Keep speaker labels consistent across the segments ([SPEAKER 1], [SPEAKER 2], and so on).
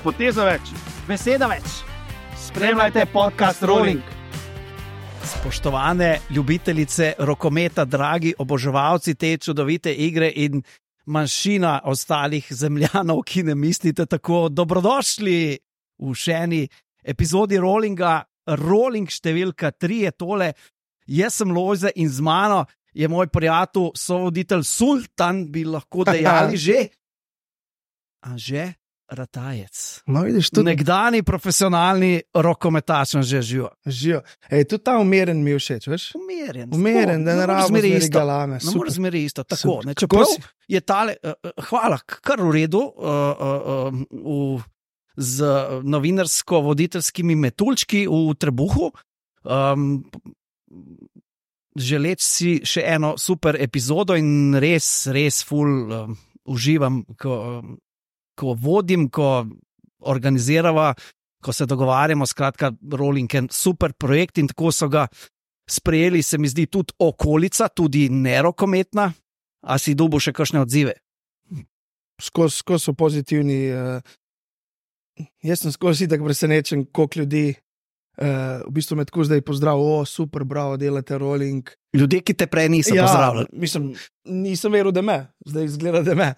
[SPEAKER 1] poteza več,
[SPEAKER 2] beseda več.
[SPEAKER 1] Spremljajte podcast Rolling.
[SPEAKER 2] Spoštovane ljubitelice rokometa, dragi oboževalci te čudovite igre in manjšina ostalih zemljanov, ki ne mislite tako, dobrodošli v še eni epizodi Rollinga. Rolling številka 3 je tole. Jaz sem Lojze in z mano je moj prijatelj, sovoditelj Sultan, bi lahko dejali že. Anže Ratajec.
[SPEAKER 3] No, vidiš, tudi
[SPEAKER 2] nekdani profesionalni rokometač, že živo.
[SPEAKER 3] živijo. Tudi ta umeren mi je všeč, veš? Umeren, da ne rabimo zmeri galame.
[SPEAKER 2] Ne moreš zmeri isto, tako.
[SPEAKER 3] Super.
[SPEAKER 2] Ne, čeprav je tale, hvala, kar v redu, z novinarsko-voditeljskimi metuljčki v trebuhu. Želeč si še eno super epizodo in res ful uživam, ko vodim, ko organizirava, ko se dogovarjamo, skratka, Rolling je super projekt in tako so ga sprejeli, se mi zdi, tudi okolica, tudi nerokometna. A si dobil še kakšne odzive?
[SPEAKER 3] Skozi so pozitivni. Jaz sem skozi tako presenečen, koliko ljudi v bistvu me tako zdaj pozdrav, super, bravo, delate Rolling.
[SPEAKER 2] Ljudje, ki te prej niso pozdravljali.
[SPEAKER 3] Mislim, nisem veril, da me, zdaj izgleda, da me.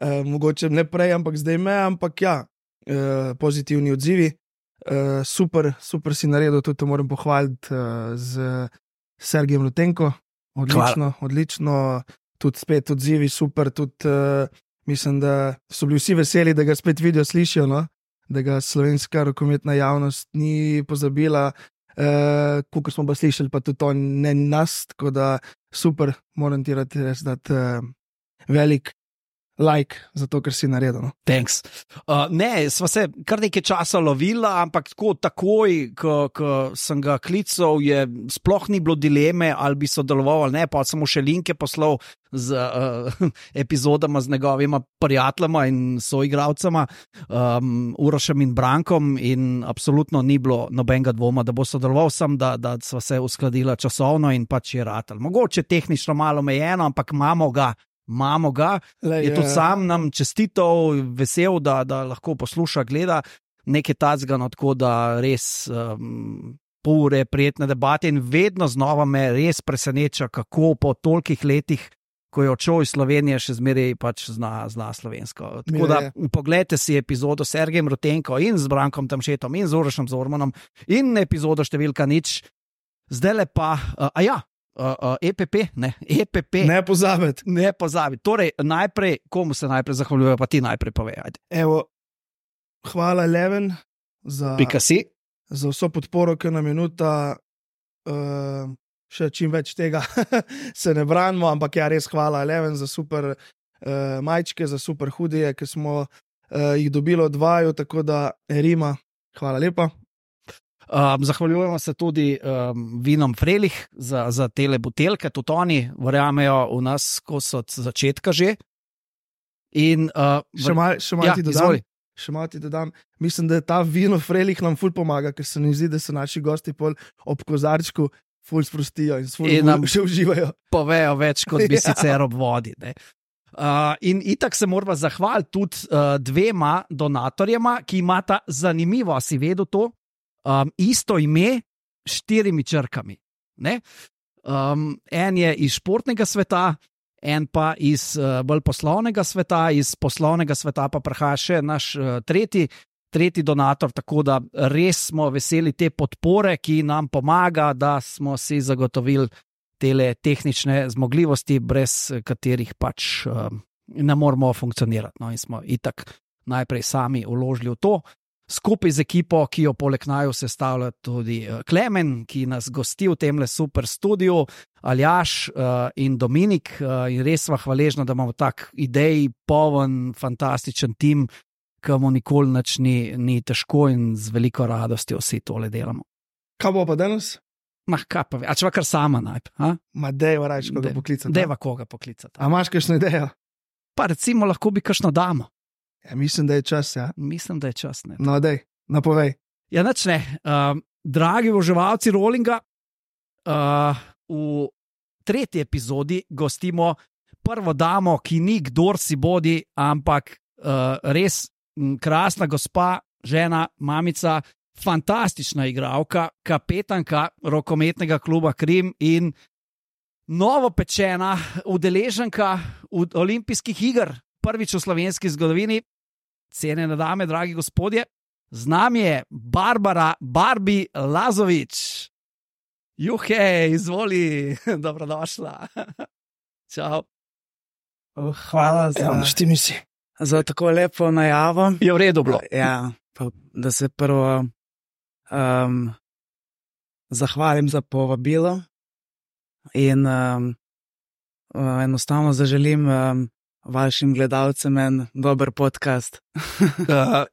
[SPEAKER 3] Mogoče ne prej, ampak zdaj me, ampak ja, pozitivni odzivi. Super si naredil, tudi to moram pohvaliti z Sergejem Rutenko. Odlično, tudi spet odzivi, super, tudi mislim, da so bili vsi veseli, da ga spet vidijo, slišijo, no? Da ga slovenska rokometna javnost ni pozabila, koliko smo pa slišali, pa tudi to ne nas, tako da super, moram ti res dati velik like za to, kar si naredil. No?
[SPEAKER 2] Thanks. Ne, sva se kar nekaj časa lovila, ampak takoj, ko sem ga klical, je sploh ni bilo dileme, ali bi sodeloval ali ne, pa sem mu še linke poslal z epizodama z njegovima prijateljama in soigralcema, Urošem in Brankom, in absolutno ni bilo nobenega dvoma, da bo sodeloval, sem, da sva se uskladila časovno in pač je ratal. Mogoče tehnično malo omejeno, ampak imamo ga. Je tudi sam nam čestitev, vesel, da lahko posluša, gleda nekaj tacga, no, tako da res pol ure prijetne debate in vedno znova me res preseneča, kako po tolikih letih, ko je odšel iz Slovenije, še zmeraj pač zna slovensko. Tako da poglejte si epizodo s Sergejem Rutenko in z Brankom Tamšetom in z Urošem Zormanom in epizodo številka 0. Zdaj pa, EPP.
[SPEAKER 3] Ne pozabiti.
[SPEAKER 2] Torej, najprej, komu se najprej zahvaljujejo, pa ti najprej povej.
[SPEAKER 3] Evo, hvala Eleven za vso podporo, ki nam je nuta, še čim več tega se ne branimo, ampak ja, res hvala Eleven za super majčke, za super hudije, ki smo jih dobili od vaju, tako da Rima, hvala lepa.
[SPEAKER 2] Zahvaljujemo se tudi vinom Frelih za tele butelke, tudi oni verjamejo v nas, ko so od začetka že. In,
[SPEAKER 3] še malo ti dodam. Mislim, da ta vino Frelih nam ful pomaga, ker se mi zdi, da se naši gosti pol ob kozarčku ful sprostijo in nam še uživajo.
[SPEAKER 2] Povejo več, kot bi sicer ob vodi. Ne? In itak se moramo zahvaliti tudi dvema donatorjema, ki imata zanimivo, si vedel to, isto ime 4 črkami. Ne? En je iz športnega sveta, en pa iz bolj poslovnega sveta, iz poslovnega sveta pa prihaja še naš tretji donator, tako da res smo veseli te podpore, ki nam pomaga, da smo si zagotovili tele tehnične zmogljivosti, brez katerih pač ne moramo funkcionirati. No, in smo itak najprej sami vložili v to. Skupaj z ekipo, ki jo poleg naju sestavlja tudi Klemen, ki nas gosti v temle super studiu, Aljaš in Dominik, in res sva hvaležna, da imamo tak idej, poln, fantastičen tim, ki mu nikoli nič ni težko in z veliko radostjo vsi tole delamo.
[SPEAKER 3] Kaj bo pa danes?
[SPEAKER 2] Kaj pa ve, a če pa kar sama najprej.
[SPEAKER 3] Ma dejva reči, koga poklicati.
[SPEAKER 2] Dejva koga poklicati.
[SPEAKER 3] A imaš kakšno idejo?
[SPEAKER 2] Pa recimo lahko bi kakšno damo.
[SPEAKER 3] Ja, mislim, da je čas, ja.
[SPEAKER 2] Mislim, da je čas, ne.
[SPEAKER 3] No, dej, napovej.
[SPEAKER 2] Ja, nič ne. Dragi oboževalci Rollinga, v 3. epizodi gostimo prvo damo, ki ni kdor si bodi, ampak res krasna gospa, žena, mamica, fantastična igralka, kapetanka rokometnega kluba Krim in novopečena udeleženka olimpijskih iger, prvič v slovenski zgodovini. Cenjene dame, dragi gospodje, z nami je Barbara Barbi Lazović. Juhe, izvoli, dobrodošla. Čau.
[SPEAKER 4] Hvala za tako lepo najavo.
[SPEAKER 2] Je v redu bilo.
[SPEAKER 4] Ja, pa, da se prvo zahvalim za povabilo in enostavno zaželim vašim gledalcem en dober podcast.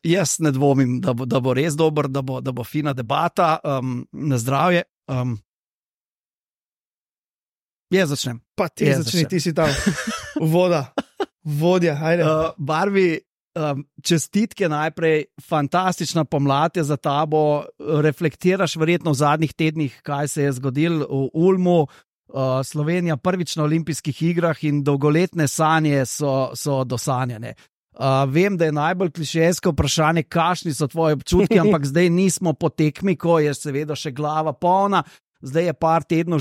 [SPEAKER 2] Jaz ne dvomim, da bo res dober, da bo fina debata, na zdravje. Jaz začnem.
[SPEAKER 3] Pa ti začni, ti si tam. Vodja, ajde.
[SPEAKER 2] Barbi, čestitke najprej, fantastična pomlad je za tabo, reflektiraš verjetno v zadnjih tednih, kaj se je zgodilo v Ulmu, Slovenija prvič na olimpijskih igrah in dolgoletne sanje so dosanjene. Vem, da je najbolj klišejsko vprašanje, kakšni so tvoji občutki, ampak zdaj nismo po tekmi, ko je seveda še glava polna, zdaj je par tednov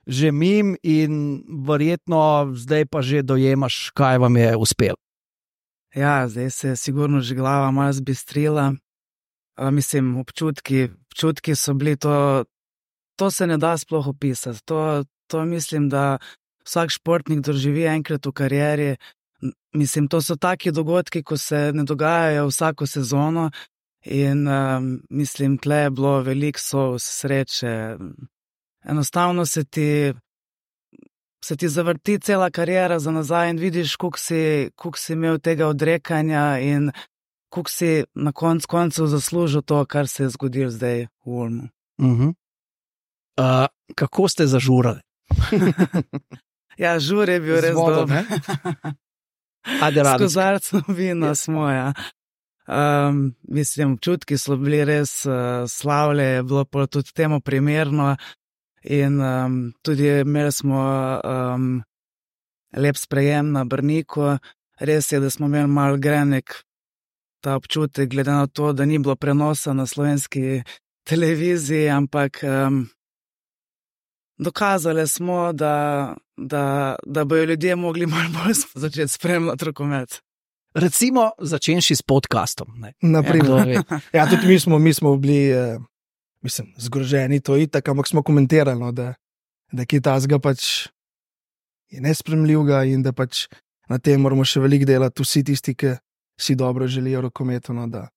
[SPEAKER 2] že mim in verjetno zdaj pa že dojemaš, kaj vam je uspelo.
[SPEAKER 4] Ja, zdaj se je sigurno že glava malo zbistrila. Mislim, občutki so bili to se ne da sploh opisati. To mislim, da vsak športnik doživi enkrat v karieri. Mislim, to so taki dogodki, ko se ne dogajajo vsako sezono in mislim, tle je bilo veliko solz, sreče. Enostavno se ti zavrti cela kariera za nazaj in vidiš, koliko si imel tega odrekanja in koliko si na koncu zaslužil to, kar se je zgodilo zdaj v Ulmu.
[SPEAKER 2] Kako ste zažurali?
[SPEAKER 4] Ja, žur je bil res dober. S kozarcem vina smo, ja. Mislim, občutki so bili res slavje, je bilo pa tudi temu primerno in tudi imeli smo lep sprejem na Brniku. Res je, da smo imeli malo grenek ta občutek, glede na to, da ni bilo prenosa na slovenski televiziji, ampak dokazali smo, da bojo ljudje mogli malo bolj začeti spremljati rokomet.
[SPEAKER 2] Recimo, začenši s podcastom.
[SPEAKER 3] Naprimer. Ja, tudi mi smo bili, mislim, zgroženi, to itak, ampak smo komentirali, no, da je tazga pač je nespremljivga in da pač na tem moramo še veliko delati vsi tisti, ki si dobro želijo rokometu, no, da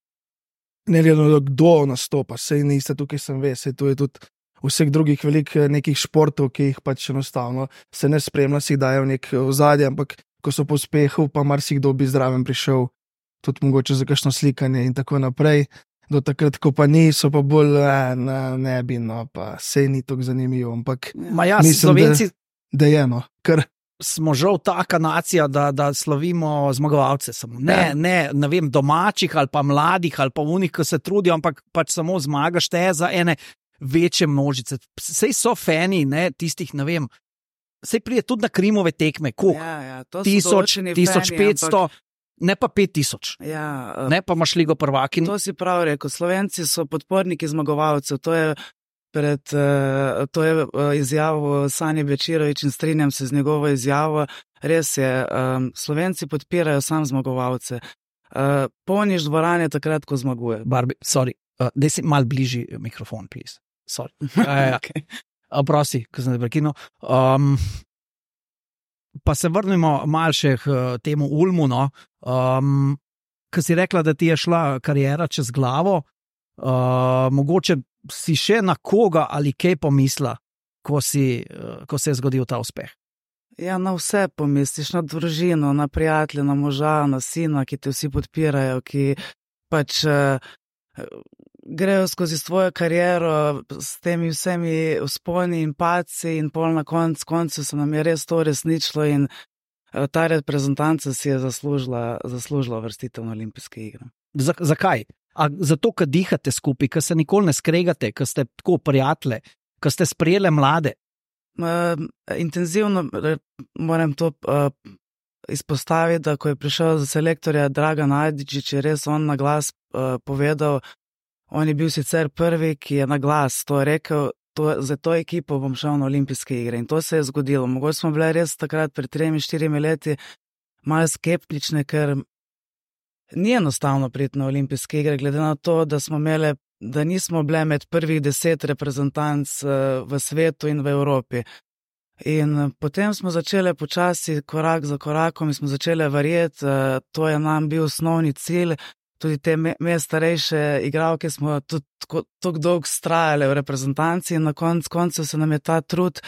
[SPEAKER 3] ne glede kdo nastopa, sej niste tukaj sem ve, sej to je tudi vseh drugih velikih nekih športov, ki jih pač enostavno se ne spremlja, si dajo nek ozadje, ampak ko so po uspehu, pa marsikdo bi zraven prišel, tudi mogoče za kakšno slikanje in tako naprej. Do takrat, ko pa ni, so pa bolj ne bi, no, pa sej ni tako zanimivo, ampak mislim,
[SPEAKER 2] Slovenci,
[SPEAKER 3] da je, no, ker
[SPEAKER 2] smo žal taka nacija, da slavimo zmagovalce samo. Ne vem, domačih ali pa mladih ali pa unih, ki se trudijo, ampak pač samo zmagaš te za ene večje množice. Sej so fani, ne, tistih, ne vem, sej prije tudi na Krimove tekme, koliko?
[SPEAKER 4] Ja,
[SPEAKER 2] 1000, 1500, ne pa 5000.
[SPEAKER 4] Ja,
[SPEAKER 2] ne pa imaš ligo prvaki.
[SPEAKER 4] To si prav rekel, Slovenci so podporniki zmagovalcev, to je izjavil Sanje Bečirović in strinjam se z njegovo izjavo. Res je, Slovenci podpirajo sam zmagovalce. Polniš dvorane takrat, ko zmaguje.
[SPEAKER 2] Barbi, sorry, daj si mal bližji mikrofon, please. Sorry. Okay. Prosi, ko sem te prekinil. Pa se vrnimo mal še k temu Ulmu, no. Ko si rekla, da ti je šla karijera čez glavo, mogoče si še na koga ali kaj pomisla, ko se je zgodil ta uspeh?
[SPEAKER 4] Ja, na vse pomisliš, na družino, na prijatelje, na moža, na sina, ki te vsi podpirajo, ki pač grejo skozi svojo kariero s temi vsemi vzponi in padci in pol na koncu se nam je res to resničilo in ta reprezentanca si je zaslužila vrstitev na olimpijske igre.
[SPEAKER 2] Zakaj? Zato, ker dihate skupaj, ker se nikoli ne skregate, ker ste tako prijatelje, ker ste sprejeli mlade?
[SPEAKER 4] Intenzivno moram to izpostaviti, da ko je prišel za selektorja Dragan Ajdičić, je res on na glas povedal, on je bil sicer prvi, ki je na glas to rekel, za to ekipo bom šel na olimpijske igre in to se je zgodilo. Mogoče smo bile res takrat pred 3-4 leti malo skeptične, ker ni enostavno priti na olimpijske igre, glede na to, da nismo bile med prvih 10 reprezentanc v svetu in v Evropi. In potem smo začeli počasi, korak za korakom, in smo začeli verjeti, to je nam bil osnovni cilj. Tudi te starejše igralke smo tudi tako dolgo strajali v reprezentanci in na koncu se nam je ta trud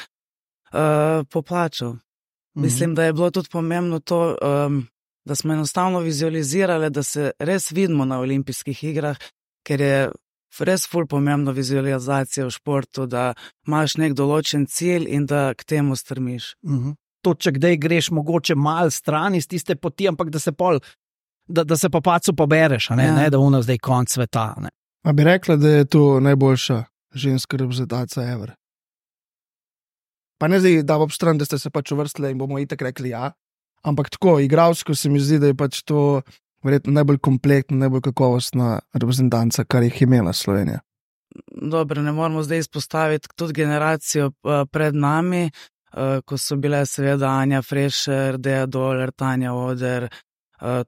[SPEAKER 4] poplačal. Mislim, da je bilo tudi pomembno to, da smo enostavno vizualizirali, da se res vidimo na olimpijskih igrah, ker je res ful pomembno vizualizacija v športu, da imaš nek določen cilj in da k temu strmiš.
[SPEAKER 2] To, če kdaj greš mogoče malo stran iz tiste poti, ampak da se pa pacu pobereš, ne da ono zdaj konc sveta. Ne.
[SPEAKER 3] A bi rekla, da je to najboljša ženska reprezentacija ever? Pa ne zdaj, da bo obstran, da ste se pač uvrstili in bomo itak rekli ja, ampak tako, igralsko se mi zdi, da je pač to verjetno najbolj komplektna, najbolj kakovostna reprezentanca, kar jih imela Slovenija.
[SPEAKER 4] Dobro, ne moramo zdaj izpostaviti tudi generacijo pred nami, ko so bile seveda Anja Frešer, Deja Doler, Tanja Oder,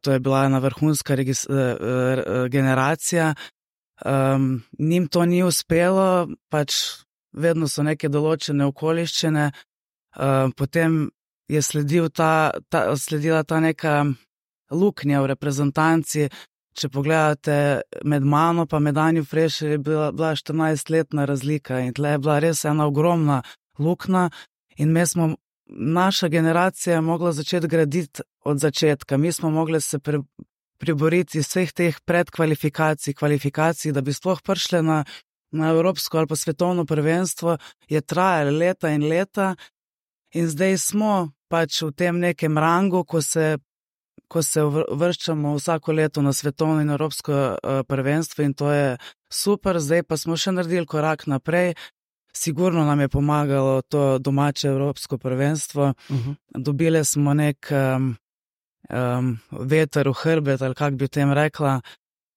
[SPEAKER 4] to je bila ena vrhunska generacija. Njim to ni uspelo, pač vedno so neke določene okoliščine, potem je sledila ta neka luknja v reprezentanci. Če pogledate med mano pa med Anjo Frešer je bila 14-letna razlika in tle je bila res ena ogromna luknja in naša generacija je mogla začeti graditi od začetka. Mi smo mogli se priboriti iz vseh teh kvalifikacij, da bi sploh prišli na evropsko ali pa svetovno prvenstvo, je trajalo leta in leta in zdaj smo pač v tem nekem rangu, ko se vrščamo vsako leto na svetovno in evropsko prvenstvo in to je super, zdaj pa smo še naredili korak naprej. Sigurno nam je pomagalo to domače evropsko prvenstvo. Dobili smo nek veter v hrbet, ali kak bi tem rekla,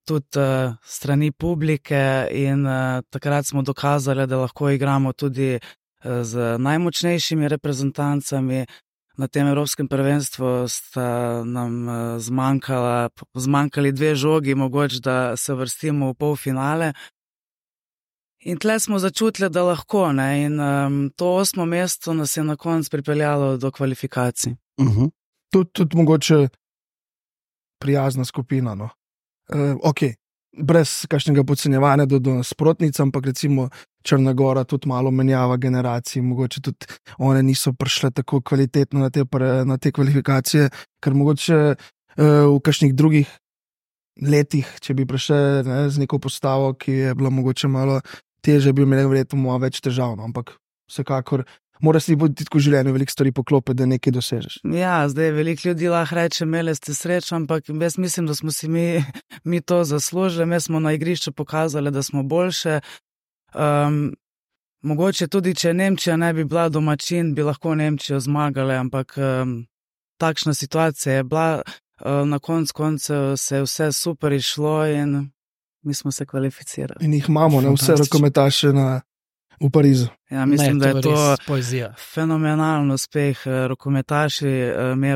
[SPEAKER 4] tudi strani publike in takrat smo dokazali, da lahko igramo tudi z najmočnejšimi reprezentancami. Na tem evropskem prvenstvu sta nam zmanjkali 2 žogi, mogoče da se vrstimo v polfinale. In tle smo začutili, da lahko, ne, in to 8. mesto nas je na koncu pripeljalo do kvalifikacij.
[SPEAKER 3] Tudi mogoče prijazna skupina, no. Ok, brez kakšnega podcenjevanja do nasprotnic, ampak recimo Črna Gora tudi malo menjava generacij, mogoče tudi one niso prišle tako kvalitetno na te kvalifikacije, ker mogoče v kakšnih drugih letih, če bi prišle z neko postavo, ki je bila mogoče malo teže, bi imeli verjetno več težav, no, ampak vsekakor mora si tudi v življenju veliko stvari poklopiti, da nekaj dosežeš.
[SPEAKER 4] Ja, zdaj veliko ljudi lahko reče, imeli ste srečo, ampak jaz mislim, da smo si mi to zaslužili, mi smo na igrišču pokazali, da smo boljše. Mogoče tudi, če Nemčija ne bi bila domačin, bi lahko Nemčijo zmagali, ampak takšna situacija je bila, na koncu se je vse super išlo in mi smo se kvalificirali.
[SPEAKER 3] In jih imamo, ne, vse rokometaše v Parizu.
[SPEAKER 4] Ja, mislim, da je to
[SPEAKER 2] poezija.
[SPEAKER 4] Fenomenalno uspeh.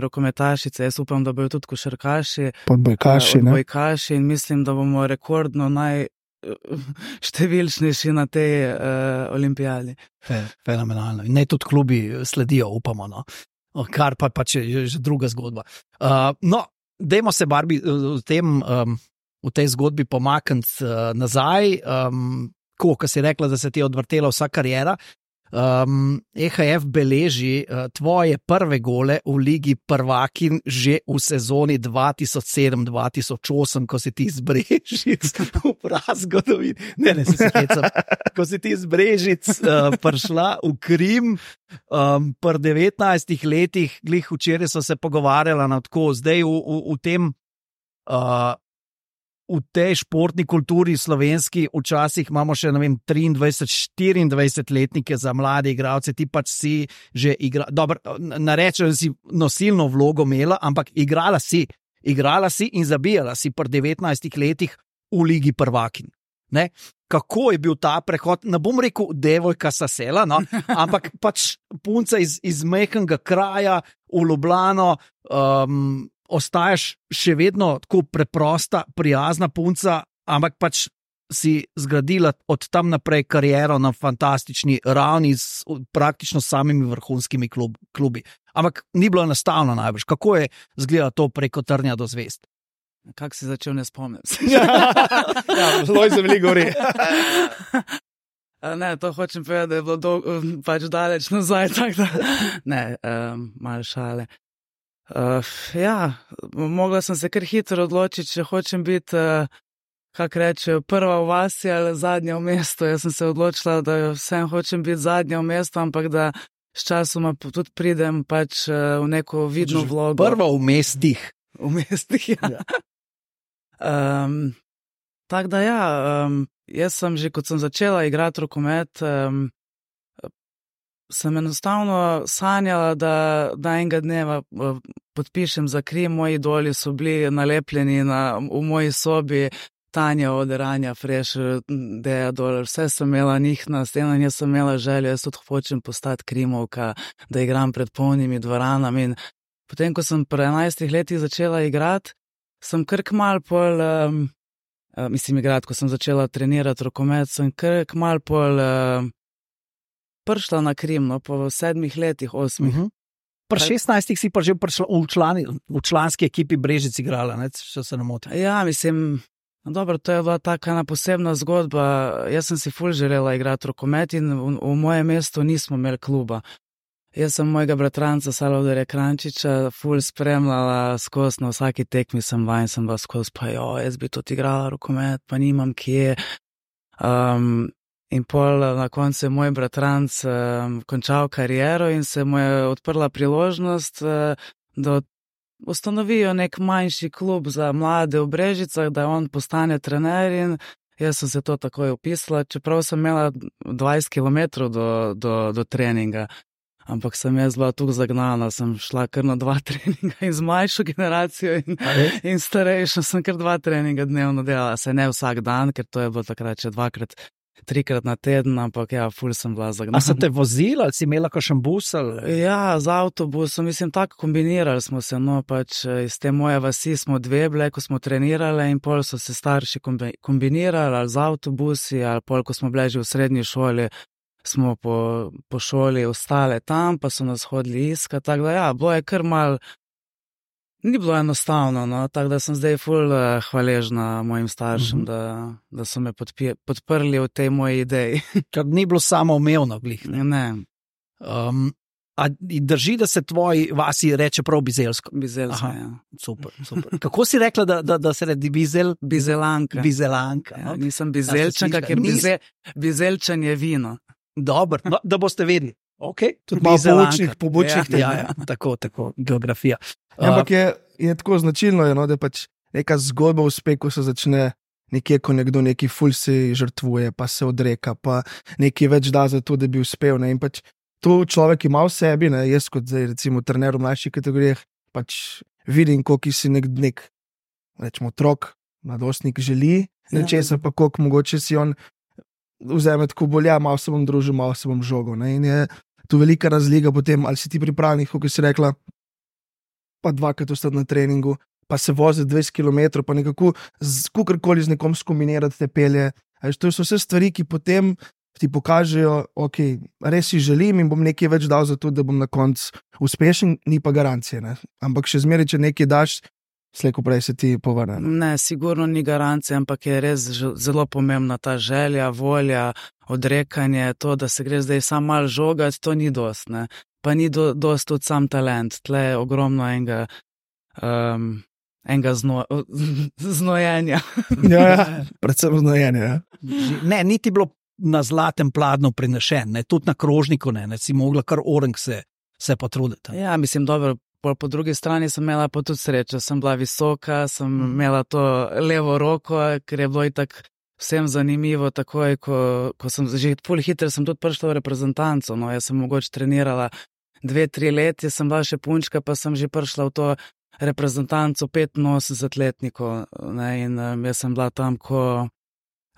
[SPEAKER 4] Rokometašice, jaz upam, da bojo tudi košarkaši, odbojkaši in mislim, da bomo rekordno številčnejši na tej olimpijadi.
[SPEAKER 2] Fenomenalno. In ne tudi klubi sledijo, upamo, no. Kar pač je že druga zgodba. No, dajmo se, Barbi, v tej zgodbi pomakniti nazaj. Ko si rekla, da se ti je odvrtela vsa kariera, EHF beleži tvoje prve gole v Ligi prvakinj že v sezoni 2007-2008, ko si ti iz Brežic v prazgodovini. Ne, se hecam. Ko si ti iz Brežic prišla v Krim, pri 19 letih, glih včeraj so se pogovarjala na tako, zdaj v tej športni kulturi slovenski včasih imamo še, 23-24 letnike za mlade igralce, ti pač si že narečem, da si nosilno vlogo imela, ampak igrala si in zabijala si pri 19 letih v Ligi prvakinj. Ne? Kako je bil ta prehod, ne bom rekel devojka sasela, no? Ampak pač punca iz majhnega kraja v Ljubljano, ostaješ še vedno tako preprosta, prijazna punca, ampak pač si zgradila od tam naprej kariero na fantastični ravni s praktično samimi vrhunskimi klubi. Ampak ni bilo enostavno najbrž. Kako je izgledalo to preko trnja do zvezd?
[SPEAKER 4] Kako si začel, ne spomnim se.
[SPEAKER 3] Zelo je zemlji gori.
[SPEAKER 4] Ne, to hočem povedati, da je bilo pač daleč nazaj, tako da ne, malo šale. Mogla sem se kar hitro odločiti, če hočem biti, kako rečejo, prva v vasi ali zadnja v mestu. Jaz sem se odločila, da vsem hočem biti zadnja v mestu, ampak da s časoma tudi pridem pač v neko vidno vlogo.
[SPEAKER 2] Prva v mestih.
[SPEAKER 4] V mestih, ja. Tako da jaz sem že, kot sem začela igrati rokomet, sem enostavno sanjala, da enega dneva podpišem za Krim. Moji idoli so bili nalepljeni v moji sobi, Tanja od Ranja, Freš, Deja Dolar, vse sem imela njih na steno in jaz sem imela željo, jaz tudi hočem postati Krimovka, da igram pred polnimi dvoranami. In potem, ko sem pri 11 letih začela igrati, sem kar kmalu pol, ko sem začela trenirati rokomet, sem kar kmalu pol prišla na Krim, no, po 7 letih, 8.
[SPEAKER 2] Pri 16 si pa že prišla v članski ekipi Brežic igrala, ne, če se ne motim.
[SPEAKER 4] Ja, dobro, to je bila taka ena posebna zgodba. Jaz sem si ful želela igrati rokomet in v mojem mestu nismo imeli kluba. Jaz sem mojega bratranca Salvadorja Krančiča ful spremljala skozi, na vsaki tekmi sem bila skozi, pa jaz bi tudi igrala rokomet, pa nimam kje. In pol na koncu je moj bratranc končal kariero in se mu je odprla priložnost, da ustanovijo nek manjši klub za mlade v Brežicah, da on postane trener in jaz sem se to takoj upisala, čeprav sem imela 20 km do treninga. Ampak sem jaz bila tukaj zagnana, sem šla kar na 2 treninga in z mlajšo generacijo in starejšo sem kar 2 treninga dnevno delala. Se ne vsak dan, ker to je bilo takrat še 2-krat, 3-krat na teden, ampak ja, ful sem bila zagnana.
[SPEAKER 2] A so te vozili ali si imela kakšen bus? Ali?
[SPEAKER 4] Ja, z avtobusom, tako kombinirali smo se, no, pač iz te moje vasi smo 2 bile, ko smo trenirali in pol so se starši kombinirali ali z avtobusi, ali pol, ko smo bile že v srednji šoli, smo po šoli ostale tam, pa so nas hodili iskati, tako da ja, bilo je kar mal, ni bilo enostavno, no, tako da sem zdaj ful hvaležna mojim staršem, da so me podprli v tej moji ideji.
[SPEAKER 2] Ker ni bilo samoumevno, glih.
[SPEAKER 4] Ne.
[SPEAKER 2] A drži, da se tvoji vasi reče prav Bizeljsko?
[SPEAKER 4] Bizeljsko, ja.
[SPEAKER 2] Super. Kako si rekla, da se redi
[SPEAKER 4] Bizelanka.
[SPEAKER 2] Bizelanka.
[SPEAKER 4] Ja, nisem bizeljčanka, ker bizeljčan je vino.
[SPEAKER 2] Dobro, no, da boste vedeli. Okay.
[SPEAKER 3] Tudi malo pobočnih tem.
[SPEAKER 2] Ja, tako, geografija.
[SPEAKER 3] Ampak je tako značilno, no, da je pač neka zgodba v uspehu se začne nekje, ko nekdo neki ful se žrtvuje, pa se odreka, pa nekaj več da za to, da bi uspel. Ne? In pač to človek ima v sebi, ne? Jaz kot zdaj recimo trener v mlajših kategorijah, pač vidim, koliko si nek rečemo, otrok, mladostnik želi nečesa, pa koliko mogoče si on vzame tako bolj, ja, malo se bom družil, malo se bom žogal. Ne? In je tu velika razlika potem, ali si ti pripravljen, kot si rekla, pa 2-krat ostati na treningu, pa se voziti 20 km, pa nekako kakorkoli z nekom skombinirati te pelje. To so vse stvari, ki potem ti pokažejo, ok, res si želim in bom nekaj več dal za to, da bom na koncu uspešen, ni pa garancije. Ne? Ampak še zmeraj, če nekaj daš, slejko prej se ti povrne.
[SPEAKER 4] Ne, sigurno ni garancija, ampak je res zelo pomembna ta želja, volja, odrekanje, to, da se gre zdaj samo malo žogati, to ni dost, ne. Pa ni dost tudi sam talent, tle je ogromno enega znojenja.
[SPEAKER 3] Ja, predvsem znojenja. Ja.
[SPEAKER 2] Ne, niti bilo na zlatem pladnju prinešen, ne, tudi na krožniku ne, si mogla kar orang se potruditi.
[SPEAKER 4] Ja, dobro, po drugi strani sem imela pa tudi srečo, sem bila visoka, sem imela to levo roko, ker je bilo itak vsem zanimivo, takoj, ko sem že ful hitro sem tudi prišla v reprezentanco, no, jaz sem mogoče trenirala 2-3 leta, sem bila še punčka, pa sem že prišla v to reprezentanco 85-letnikov, ne, in jaz sem bila tam ko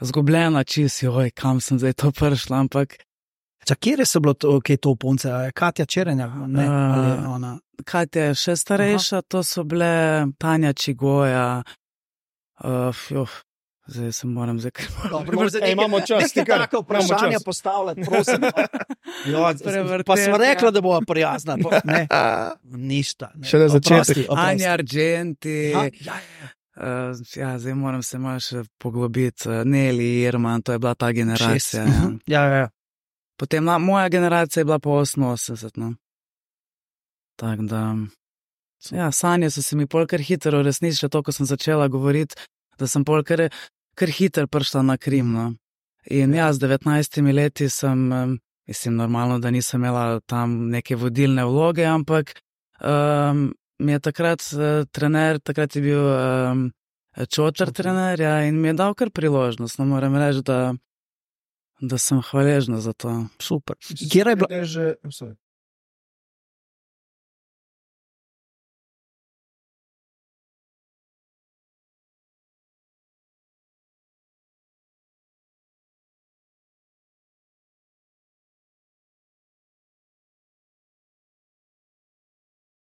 [SPEAKER 4] zgubljena čisto, kam sem zdaj to prišla, ampak
[SPEAKER 2] Kje so bilo to punce? Katja Čerenja? Ne, ali ona?
[SPEAKER 4] Katja je še starejša, to so bile Tanja Čigoja, zdaj se moram
[SPEAKER 3] imamo čas, ti kar
[SPEAKER 2] tako vprašanja postavljati, prosim. Pa smo rekli, da bova prijazna. Ne, ništa.
[SPEAKER 3] Šele začetek.
[SPEAKER 4] Anja Argenti. Zdaj moram se malo še poglobiti. Neli Irman, to je bila ta generacija.
[SPEAKER 2] Ja.
[SPEAKER 4] Potem moja generacija je bila po 88. No. Tako da, sanje so se mi pol kar hitro resničile, to, ko sem začela govoriti, da sem pol kar hitro prišla na Krim. No. In z 19 leti sem, mislim, normalno, da nisem imela tam neke vodilne vloge, ampak mi je takrat trener, takrat je bil Čotar trener, in mi je dal kar priložnost. No, moram reči, da sem hvaležna za to.
[SPEAKER 2] Super. Kjer je bila?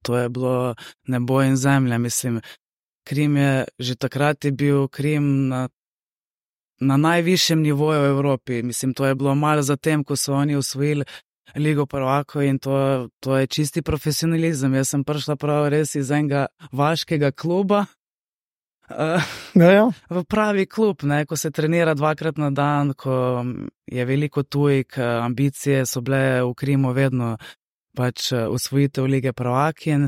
[SPEAKER 4] To je bilo nebo in zemlja, mislim. Krim je, že takrat je bil Krim na najvišjem nivoju v Evropi. Mislim, to je bilo malo zatem, ko so oni osvojili Ligo prvakov in to je čisti profesionalizem. Jaz sem prišla prav res iz enega vaškega kluba v pravi klub, ne, ko se trenira 2-krat na dan, ko je veliko tujk, ambicije so bile v Krimu vedno pač osvojitev Lige prvakinj.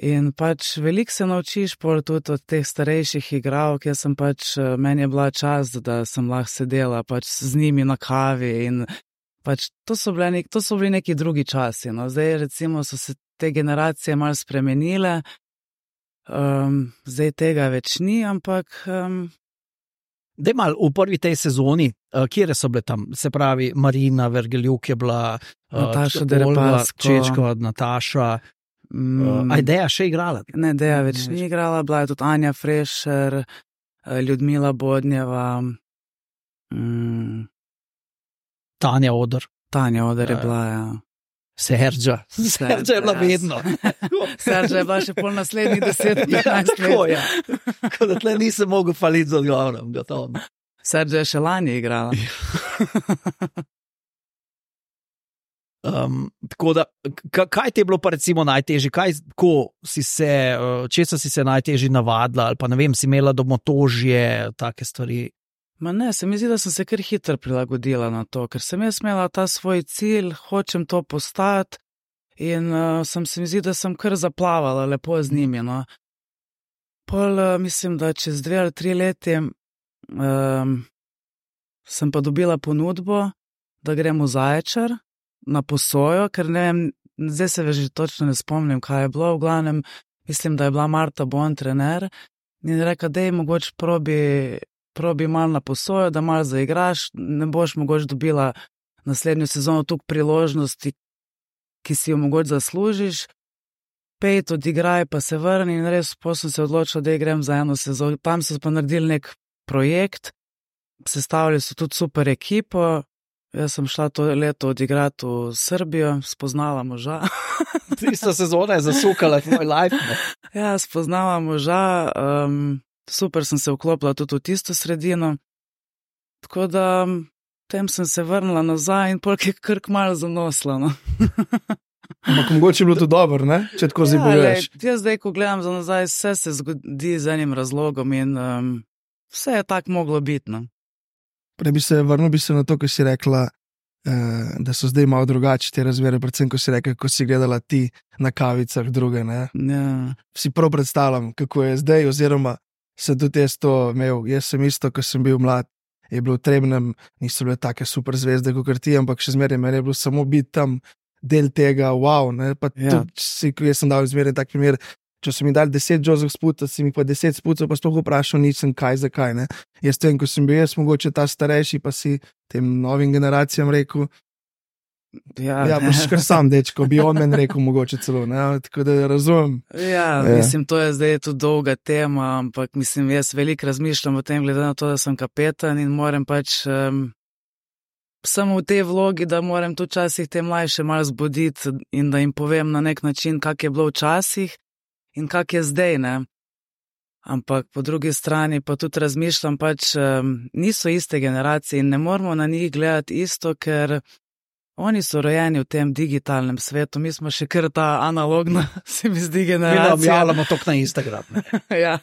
[SPEAKER 4] In pač veliko se naučiš tudi od teh starejših igralk. Jaz sem pač, meni je bila čast, da sem lahko sedela pač z njimi na kavi in pač to so bili neki drugi časi. No. Zdaj recimo so se te generacije malo spremenile, zdaj tega več ni, ampak...
[SPEAKER 2] Daj malo, v prvi tej sezoni, kjere so bile tam? Se pravi, Marina Vergeljuk je bila,
[SPEAKER 4] Nataša Derepasko,
[SPEAKER 2] Čečkova, Nataša... A je Deja še igrala?
[SPEAKER 4] Ne, Deja več ni igrala, bila je tudi Anja Frešer, Ljudmila Bodnjeva,
[SPEAKER 2] Tanja Oder.
[SPEAKER 4] Tanja Oder je bila,
[SPEAKER 2] Serža je bila vedno.
[SPEAKER 4] Serža je bila še pol naslednjih 10-15 let.
[SPEAKER 2] Tako da tle nisem mogel faliti z odgovorom, gotovo.
[SPEAKER 4] Serža je še lani igrala.
[SPEAKER 2] Tako da, kaj ti je bilo pa recimo najtežje, česa si se najtežje navadila, ali pa ne vem, si imela domotožje, take stvari?
[SPEAKER 4] Ma ne, se mi zdi, da sem se kar hitro prilagodila na to, ker sem jaz imela ta svoj cilj, hočem to postati in se mi zdi, da sem kar zaplavala lepo z njimi, no. Pol mislim, da čez 2 ali 3 leti sem pa dobila ponudbo, da grem v Zaječar na posojo, ker ne vem, zdaj se že točno ne spomnim, kaj je bilo, v glavnem, mislim, da je bila Marta Bon trener in reka, dej mogoče probi malo na posojo, da malo zaigraš, ne boš mogoče dobila naslednjo sezono toliko priložnosti, ki si jo mogoče zaslužiš, 5 odigraj pa se vrni in res sem se odločila, da grem za eno sezono. Tam so pa naredili nek projekt, sestavili so tudi super ekipo. Jaz sem šla to leto odigrati v Srbijo, spoznala moža.
[SPEAKER 2] Tista sezona je zasukala tvoj life. Ne?
[SPEAKER 4] Ja, spoznala moža, super sem se vklopila tudi v tisto sredino. Tako da tem sem se vrnila nazaj in polk je kar malo zanosla. No.
[SPEAKER 3] Ampak mogoče je bilo to dobro, ne? Če tako zdaj pogledaš.
[SPEAKER 4] Jaz zdaj, ko gledam za nazaj, vse se zgodi z enim razlogom in vse je tako moglo biti. No.
[SPEAKER 3] Prej vrnil bi se na to, ko si rekla, da so zdaj malo drugače te razmere, predvsem, ko si rekla, ko si gledala ti na kavicah druge, ne?
[SPEAKER 4] Ja.
[SPEAKER 3] Si prav predstavljam, kako je zdaj, oziroma sem tudi jaz to imel. Jaz sem isto, ko sem bil mlad, je bilo v Trebnjem, niso bile take super zvezde, kot ti, ampak še zmeraj meni je bilo samo biti tam del tega, wow, ne? Pa tudi, jaz sem dal zmeraj tak primer, če so mi dali 10 Joseph sputa, si mi pa 10 sputov, pa sploh vprašal nisem, kaj, zakaj, ne. Jaz vem, ko sem bil jaz mogoče ta starejši, pa si tem novim generacijam rekel, Ja, boš kar sam, dečko, bi on meni rekel, mogoče celo, ne, tako da razumem.
[SPEAKER 4] Ja, mislim, to je zdaj tudi dolga tema, ampak mislim, jaz veliko razmišljam o tem, glede na to, da sem kapetan in moram pač samo v tej vlogi, da moram tudi včasih te mlajše malo zbuditi in da jim povem na nek način, kak je bilo včasih in kak je zdaj, ne. Ampak po drugi strani pa tudi razmišljam pač, niso iste generacije in ne moramo na njih gledati isto, ker oni so rojeni v tem digitalnem svetu, mi smo še kar ta analogna, se mi zdi, generacija.
[SPEAKER 2] Mi objavljamo to na Instagram.
[SPEAKER 4] Ja.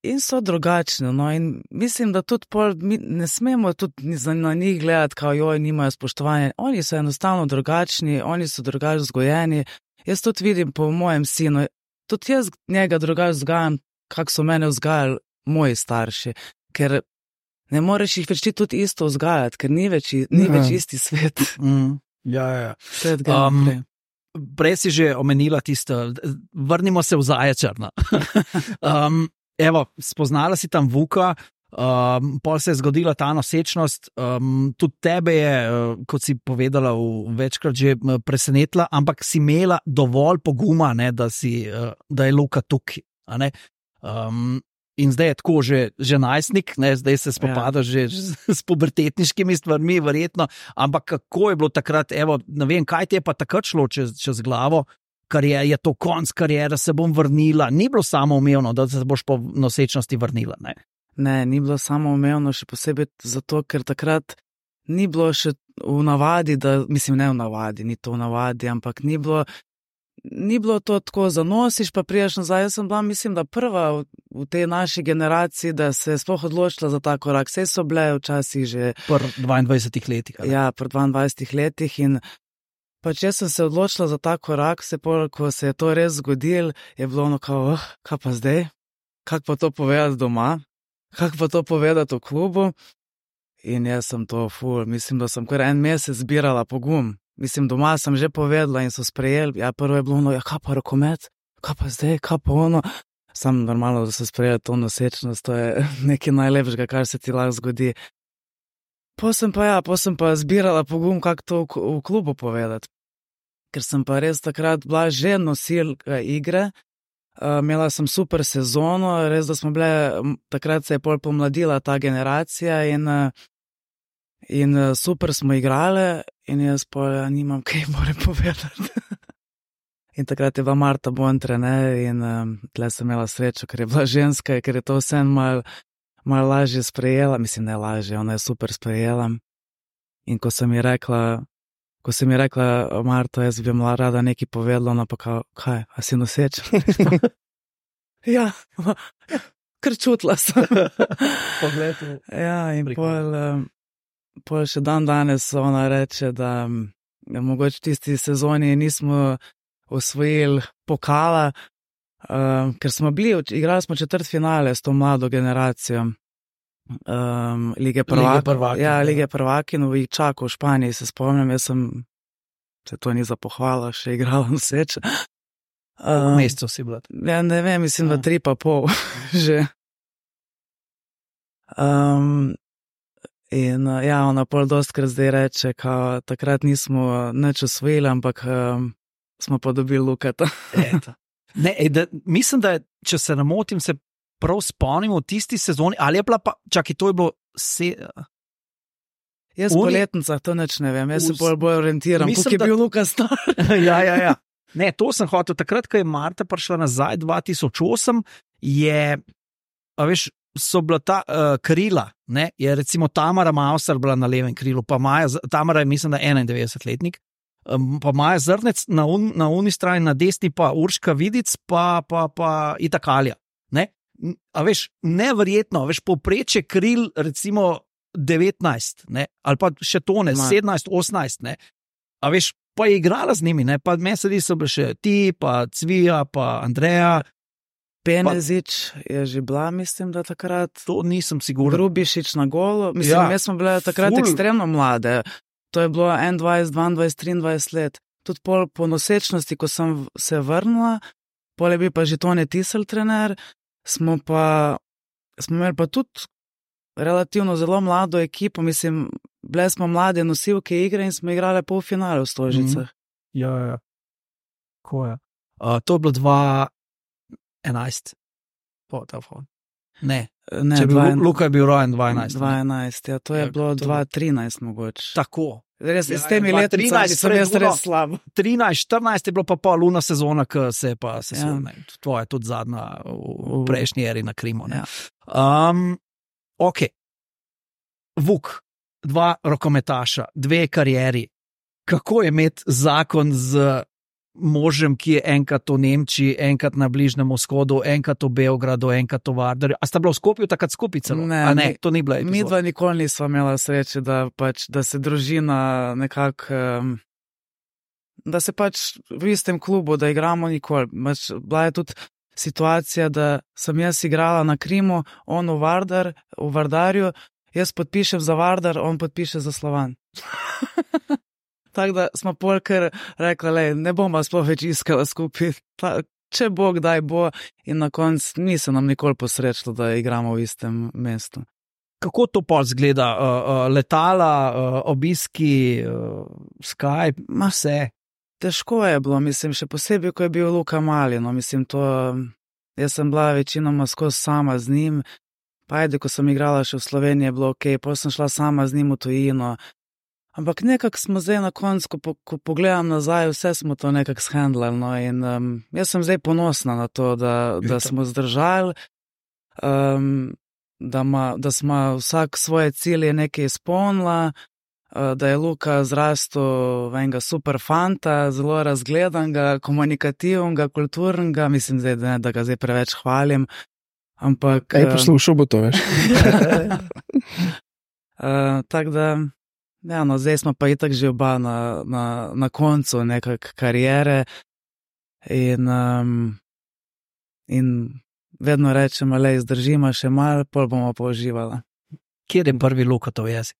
[SPEAKER 4] In so drugačni, no, in mislim, da tudi mi ne smemo tudi na njih gledati, kao joj, nimajo spoštovanja. Oni so enostavno drugačni, oni so drugače vzgojeni. Jaz tudi vidim po mojem sinu, tudi jaz njega drugače vzgajam, kako so mene vzgajali moji starši, ker ne moreš jih več tudi isto vzgajati, ker ni več isti svet.
[SPEAKER 2] Ja.
[SPEAKER 4] Svet ga naprej.
[SPEAKER 2] Prej si že omenila tisto, vrnimo se v Zaječar. Evo, spoznala si tam Vuka, pol se je zgodila ta nosečnost, tudi tebe je, kot si povedala, večkrat že presenetila, ampak si imela dovolj poguma, ne, da je Luka tukaj. In zdaj je tako že najstnik, ne, zdaj se spopadaš že s pubertetniškimi stvarmi, verjetno, ampak kako je bilo takrat, evo, ne vem, kaj ti je pa takrat šlo čez glavo, je to konc karijere, se bom vrnila, ni bilo samoumevno, da se boš po nosečnosti vrnila, ne?
[SPEAKER 4] Ne, ni bilo samoumevno, še posebej zato, ker takrat ni bilo še v navadi, mislim, ne v navadi, ni to v navadi, ampak ni bilo to tako, zanosiš pa priješ nazaj. Jaz sem bila, mislim, da prva v tej naši generaciji, da se je sploh odločila za ta korak. Saj so bile včasih že
[SPEAKER 2] pri 22 letih.
[SPEAKER 4] Ja, pri 22 letih in pač jaz sem se odločila za ta korak, ko se je to res zgodilo, je bilo ono kao, kaj pa zdaj? Kako pa to povedati doma? Kako pa to povedati v klubu? In jaz sem to mislim, da sem kar en mesec zbirala pogum. Mislim, doma sem že povedala in so sprejeli. Ja, prvo je bilo ono, ja, kaj pa rokomet? Kaj pa zdaj? Kaj pa ono? Sam normalno, da so sprejeli to nosečnost, to je nekaj najlepšega, kar se ti lahko zgodi. Potem pa zbirala pogum, kako to v klubu povedati. Ker sem pa res takrat bila že nosilka igre, imela sem super sezono, res da smo bile, takrat se je pol pomladila ta generacija in super smo igrale in jaz pa nimam kaj more povedati. In takrat je bila Marta Bontre, ne, in tle sem imela srečo, ker je bila ženska, ker je to vse malo lažje sprejela, mislim, ne lažje, ona je super sprejela. In ko sem ji rekla, Marta, jaz bi bila rada nekaj povedala, ona pa kao, kaj, a si noseča? Ja, kar čutila sem.
[SPEAKER 2] Pogled.
[SPEAKER 4] Ja, in pol še dan danes ona reče, da mogoče tisti sezoni nismo osvojili pokala, ker smo igrali smo četrtfinale s to mlado generacijo Lige prvaki. Ja, Lige prvaki, v Čaku v Španiji se spomnim, jaz sem, se to ni za pohvala, še igrala noseča.
[SPEAKER 2] V mesecu si bila?
[SPEAKER 4] Ja, ne vem, mislim, da 3,5 že. In ja, ona pol dostkrat zdaj reče, kao takrat nismo nič osvojili, ampak smo pa dobili Lukata.
[SPEAKER 2] Ne, mislim, da če se ne motim, se prav spomnimo v tisti sezoni, ali je bila pa, čakaj, to je bilo
[SPEAKER 4] Jaz po letnicah to nič ne vem, jaz se bolj orientiram, kako je bil Luka star.
[SPEAKER 2] Ja. Ne, to sem hotel, takrat, ko je Marta prišla nazaj 2008, so bila ta krila, ne, je recimo Tamara Mauser bila na levem krilu, pa Tamara je, mislim, da 91-letnik, pa Maja Zrnec na uni strani, na desni pa Urška Vidic, pa Itakalja, ne. A veš, neverjetno, veš, povprečje kril recimo 19, ne, ali pa še to ne, 17, 18, ne, a veš, pa je igrala z njimi, ne, pa mesedi so bili še ti, pa Cvija, pa Andreja.
[SPEAKER 4] Penezič je že bila, mislim, da takrat.
[SPEAKER 2] To nisem siguren.
[SPEAKER 4] Grubišič na golu, mislim, ja, jaz smo bile takrat ekstremno mlade, to je bilo 21, 22, 23 let. Tudi po nosečnosti, ko sem se vrnila, pol je bil pa že Tone Tisel trener, smo imeli pa tudi relativno zelo mlado ekipo, mislim, bile smo mlade nosilke igre in smo igrali polfinale v Stožicah.
[SPEAKER 2] Ja. Ko je? To je bilo 2011. Ne.
[SPEAKER 4] Ne,
[SPEAKER 2] Če bi Luka je bil rojen 2011.
[SPEAKER 4] 2011, ja, to je bilo 2013 mogoče.
[SPEAKER 2] Tako.
[SPEAKER 4] Res, s temi leticami sem jaz res slab.
[SPEAKER 2] 13-14 je bilo pa luna sezona, ki se je pa sesul. Tvoja je tudi zadnja v prejšnji eri na Krimu.
[SPEAKER 4] Ja.
[SPEAKER 2] Ok. Vuk, 2 rokometaša, 2 karieri. Kako je imeti zakon z možem, ki je enkrat v Nemčiji, enkrat na Bližnjem vzhodu, enkrat v Beogradu, enkrat v Vardarju? A sta bila v Skopju takrat skupaj celo? Ne, to ni bila epizoda.
[SPEAKER 4] Mi dva nikoli nisva imela sreče, da se družina nekako, da se v istem klubu, da igramo nikoli. Bila je tudi situacija, da sem jaz igrala na Krimu, on v Vardarju, jaz podpišem za Vardar, on podpiše za Slovan. Tako da smo polkar rekli, ne bomo sploh več iskala skupaj, če bo, kdaj bo, in na koncu ni se nam nikoli posrečilo, da igramo v istem mestu.
[SPEAKER 2] Kako to pa zgleda? Letala, obiski, Skype, vse?
[SPEAKER 4] Težko je bilo, mislim, še posebej, ko je bil Luka mali, no, mislim, jaz sem bila večinoma skozi sama z njim, pa ajde, ko sem igrala še v Sloveniji, je bilo okej, potem sem šla sama z njim v tujino. Ampak nekako smo zdaj na koncu, ko pogledam nazaj, vse smo to nekako shendlali, no, in jaz sem zdaj ponosna na to, da smo zdržali, da smo vsak svoje cilje nekaj izpolnila, da je Luka zrastel v enega super fanta, zelo razgledanega, komunikativnega, kulturnega, mislim zdaj, da ga zdaj preveč hvalim, ampak...
[SPEAKER 3] Poslušal bo to, veš.
[SPEAKER 4] Tako da... Ja, no, zdaj smo pa itak že oba na koncu nekak kariere in vedno rečemo, zdržimo še malo, pol bomo pa uživala.
[SPEAKER 2] Kjer je prvi Lukatov jezik?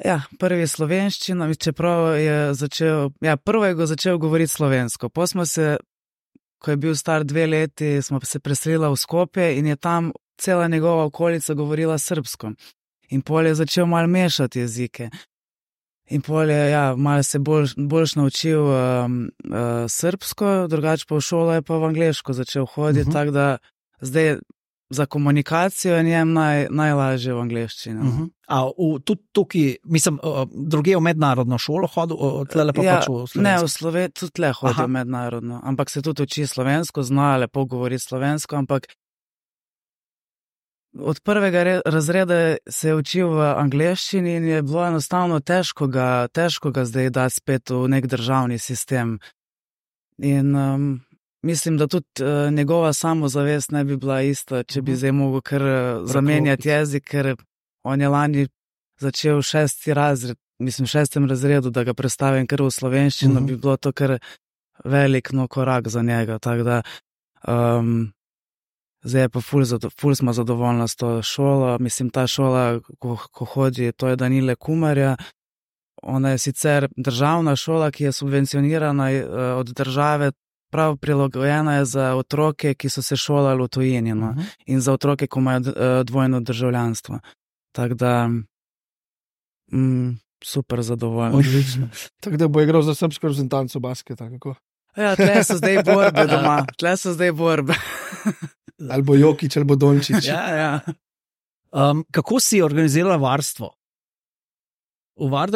[SPEAKER 4] Ja, prvi je slovenščina, čeprav je prvo je začel govoriti slovensko. Po smo se, ko je bil star 2 leti, smo se preselila v Skopje in je tam cela njegova okolica govorila srbsko. In pol je začel malo mešati jezike. In pol je, malo se boljš naučil srbsko, drugače pa v šolo je pa v angleško začel hoditi, tako da zdaj za komunikacijo je njem najlažje v angleščini.
[SPEAKER 2] A tudi tukaj, mislim, druge v mednarodno šolo hodil, tlele pa pač v slovensko?
[SPEAKER 4] Ne, v Sloveniji tudi tle hodil mednarodno, ampak se tudi uči slovensko, zna lepo govoriti slovensko, ampak od prvega razreda se je učil v angleščini in je bilo enostavno težko ga zdaj dati spet v nek državni sistem. In mislim, da tudi njegova samozavest ne bi bila ista, če bi zdaj mogel kar zamenjati jezik, ker on je lani začel 6. razred, mislim, 6. razredu, da ga prestavim kar v slovenščino, bi bilo to kar velik korak za njega, tako da zdaj je pa ful smo zadovoljni s to šolo. Mislim, ta šola, ko hodi, to je Danile Kumarja. Ona je sicer državna šola, ki je subvencionirana od države, prav prilagojena je za otroke, ki so se šolali v tujini, no? In za otroke, ko imajo dvojno državljanstvo. Tako da super zadovoljni.
[SPEAKER 3] Tako da bo igral za srbsko reprezentanco basketa, kako?
[SPEAKER 4] Ja, tle so zdaj borbe doma,
[SPEAKER 3] Ali bo Jokić, ali bo Dončić.
[SPEAKER 4] Ja.
[SPEAKER 2] Kako si organizirala varstvo?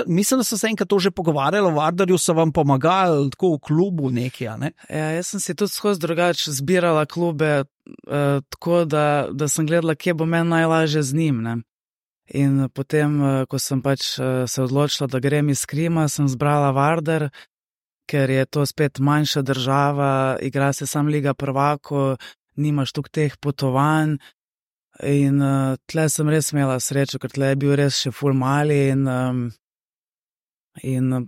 [SPEAKER 2] Mislim, da so se enkrat to že pogovarjali, v Vardarju so vam pomagali tako v klubu nekaj, ne?
[SPEAKER 4] Ja, jaz sem si tudi skozi drugače zbirala klube, tako da sem gledala, kje bo meni najlažje z njim, ne? In potem, ko sem pač se odločila, da grem iz Krima, sem zbrala Vardar, ker je to spet manjša država, igra se sam Liga prvakov, nimaš tukaj teh potovanj in tle sem res imela srečo, ker tle je bil res še ful mali in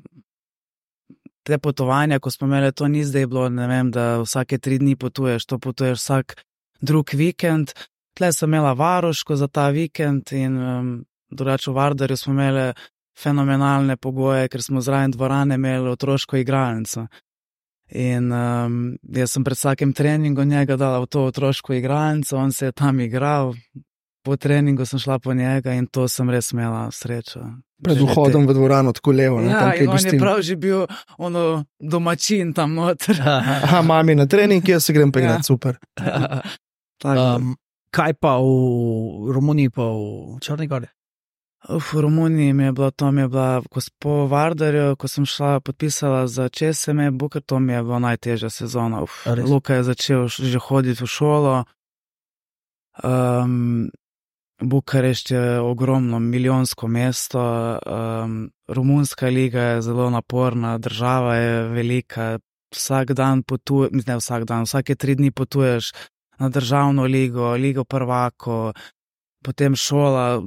[SPEAKER 4] te potovanja, ko smo imeli, to ni zdaj bilo, ne vem, da vsake 3 dni potuješ, to potuješ vsak drug vikend. Tle sem imela varuško za ta vikend in drugače v Vardarju smo imeli fenomenalne pogoje, ker smo zraven dvorane imeli otroško igralnico. In jaz sem pred vsakim treningom njega dala v to otroško igralnico, on se je tam igral, po treningu sem šla po njega in to sem res imela srečo.
[SPEAKER 3] Pred vhodom v dvorano, tako levo. Ne,
[SPEAKER 4] Ja,
[SPEAKER 3] tam, kjer
[SPEAKER 4] in on je
[SPEAKER 3] gostim.
[SPEAKER 4] prav že bil domačin tam noter.
[SPEAKER 3] Aha, mami na trening, jaz se grem pa igrati, super.
[SPEAKER 4] Tako.
[SPEAKER 2] Kaj pa v Romuniji, pa v Črni Gori?
[SPEAKER 4] V Romuniji mi je bila, po Vardarju, ko sem šla, podpisala za ČSM, Bukar, to mi je bila najtežja sezona.
[SPEAKER 2] A res?
[SPEAKER 4] Luka je začel že hoditi v šolo. Bukarešt je ogromno, milijonsko mesto. Romunska liga je zelo naporna, država je velika. Vsak dan potuješ, ne vsak dan, vsake 3 dni potuješ na državno ligo prvako. Potem šola,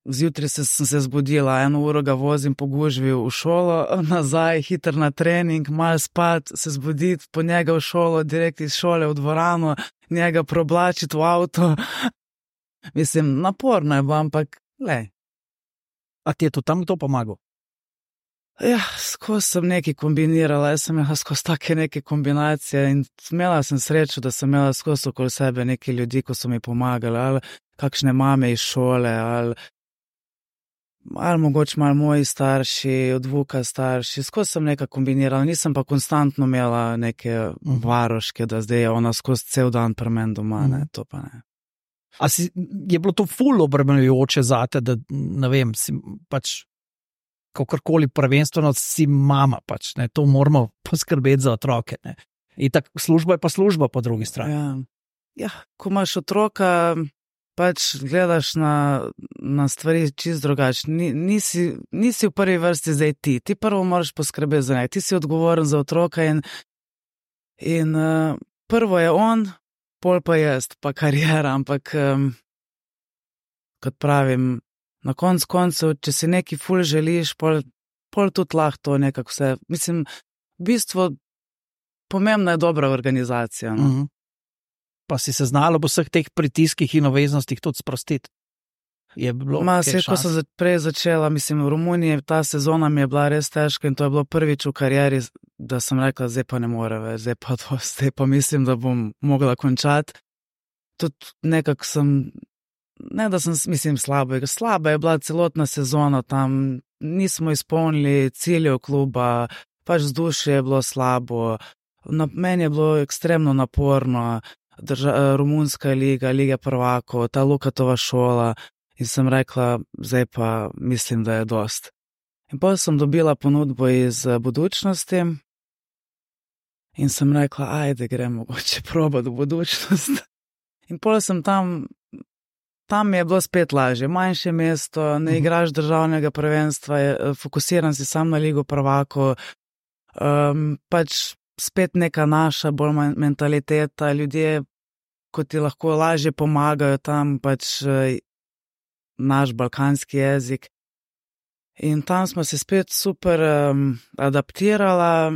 [SPEAKER 4] zjutraj sem se zbudila, 1 uro ga vozim po gužvi v šolo, nazaj, hiter na trening, malo spat, se zbuditi, po njega v šolo, direkt iz šole v dvorano, njega problačiti v avto. Mislim, naporno je bilo, ampak, lej.
[SPEAKER 2] A ti je to tam kdo pomagal?
[SPEAKER 4] Ja, skozi sem nekaj kombinirala, jaz sem imela skozi take neke kombinacije in imela sem srečo, da sem imela skozi okoli sebe neki ljudi, ko so mi pomagali, ali kakšne mame iz šole, ali mogoče malo moji starši, od Vuka starši, skozi sem nekaj kombinirala, nisem pa konstantno imela neke varoške, da zdaj je ona skozi cel dan pri meni doma, ne, to pa ne.
[SPEAKER 2] A je bilo to ful obremenjujoče zate, da ne vem, si pač kakorkoli prvenstveno si mama pač, ne, to moramo poskrbeti za otroke, ne. In tako služba je pa služba po drugi strani.
[SPEAKER 4] Ja, ko imaš otroka, pač gledaš na stvari čisto drugače. Nisi v prvi vrsti zdaj ti prvo moraš poskrbeti za njega, ti si odgovoren za otroka in prvo je on, pol pa jaz, pa kariera, ampak kot pravim, na koncu, če si neki ful želiš, pol tudi lahko to nekako vse. Mislim, v bistvu pomembna je dobra organizacija. No?
[SPEAKER 2] Pa si se znala v vseh teh pritiskih in obveznostih tudi sprostiti? Je bilo
[SPEAKER 4] ko sem prej začela, mislim, v Romuniji ta sezona mi je bila res težka in to je bilo prvič v karieri, da sem rekla, zdaj pa ne more več, zdaj pa mislim, da bom mogla končati. Tudi nekako sem, ne da sem, mislim, slaba je bila celotna sezona tam, nismo izpolnili ciljev kluba, pač vzdušje je bilo slabo, meni je bilo ekstremno naporno, Romunska liga prvakov, ta Lukatova šola in sem rekla, zdaj pa mislim, da je dost. In potem sem dobila ponudbo iz Budućnosti in sem rekla, ajde, gremo mogoče probati v Budućnost. In potem sem tam je bilo spet lažje, manjše mesto, ne igraš državnega prvenstva, fokusiran si sam na ligo prvako, pač spet neka naša bolj mentaliteta, ljudje, ko ti lahko lažje pomagajo tam, pač naš balkanski jezik. In tam smo se spet super adaptirala,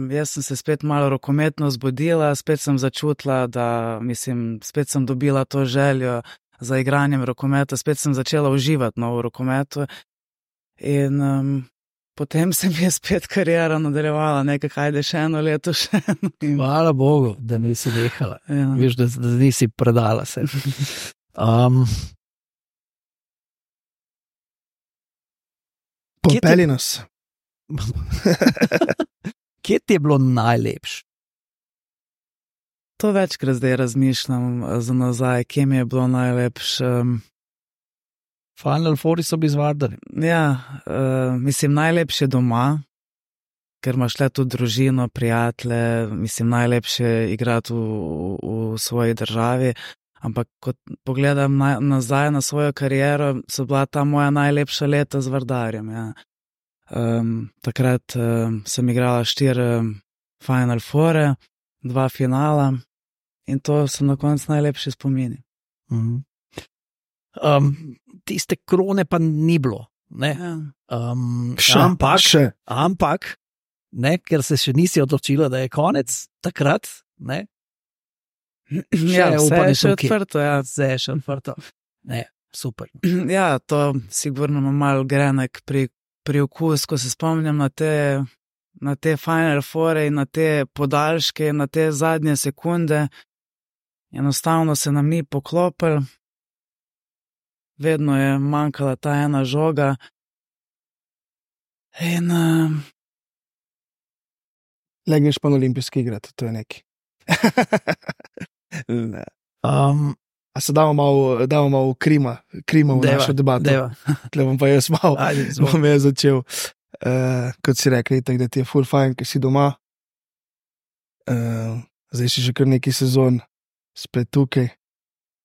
[SPEAKER 4] jaz sem se spet malo rokometno zbudila, spet sem začutila, da, mislim, spet sem dobila to željo za igranjem rokometa, spet sem začela uživati v rokometu in potem se mi je spet kariera nadaljevala, nekaj, ajde še 1 leto, še 1.
[SPEAKER 2] Hvala Bogu, da nisi nehala.
[SPEAKER 4] Ja.
[SPEAKER 2] Veš, da nisi predala se.
[SPEAKER 3] Popeli nas.
[SPEAKER 2] Kje ti je bilo najlepše?
[SPEAKER 4] To večkrat zdaj razmišljam za nazaj, kje mi je bilo najlepše.
[SPEAKER 2] Final Fouri so bili z Vardarjem.
[SPEAKER 4] Ja, mislim, najlepše doma, ker imaš le tudi družino, prijatelje, mislim, najlepše igrati v svoji državi, ampak kot pogledam nazaj na svojo kariero, so bila ta moja najlepša leta z Vardarjem. Ja. Takrat sem igrala 4 Final Foure, 2 finala in to so na koncu najlepši spomini.
[SPEAKER 2] Tiste krone pa ni bilo. Ne?
[SPEAKER 4] Ja.
[SPEAKER 2] Ampak, ne, ker se še nisi odločila, da je konec takrat. Ne?
[SPEAKER 4] Ja, vse je še odprto. Ja.
[SPEAKER 2] Vse je še odprto. Ne, super.
[SPEAKER 4] Ja, to sigurno ima malo grenek pri okus, ko se spomnim na te Final Foure in na te podaljške in na te zadnje sekunde. Enostavno se nam ni poklopil vedno je manjkala ta ena žoga. In
[SPEAKER 3] Le greš pa na olimpijske igre, to je neki. Ne. A se damo malo krima v našo debato. Tle bom pa jaz malo, bom jaz začel. Kot si rekli, tak, da ti je ful fajn, ker si doma. Zdaj si že kar neki sezon spet tukaj.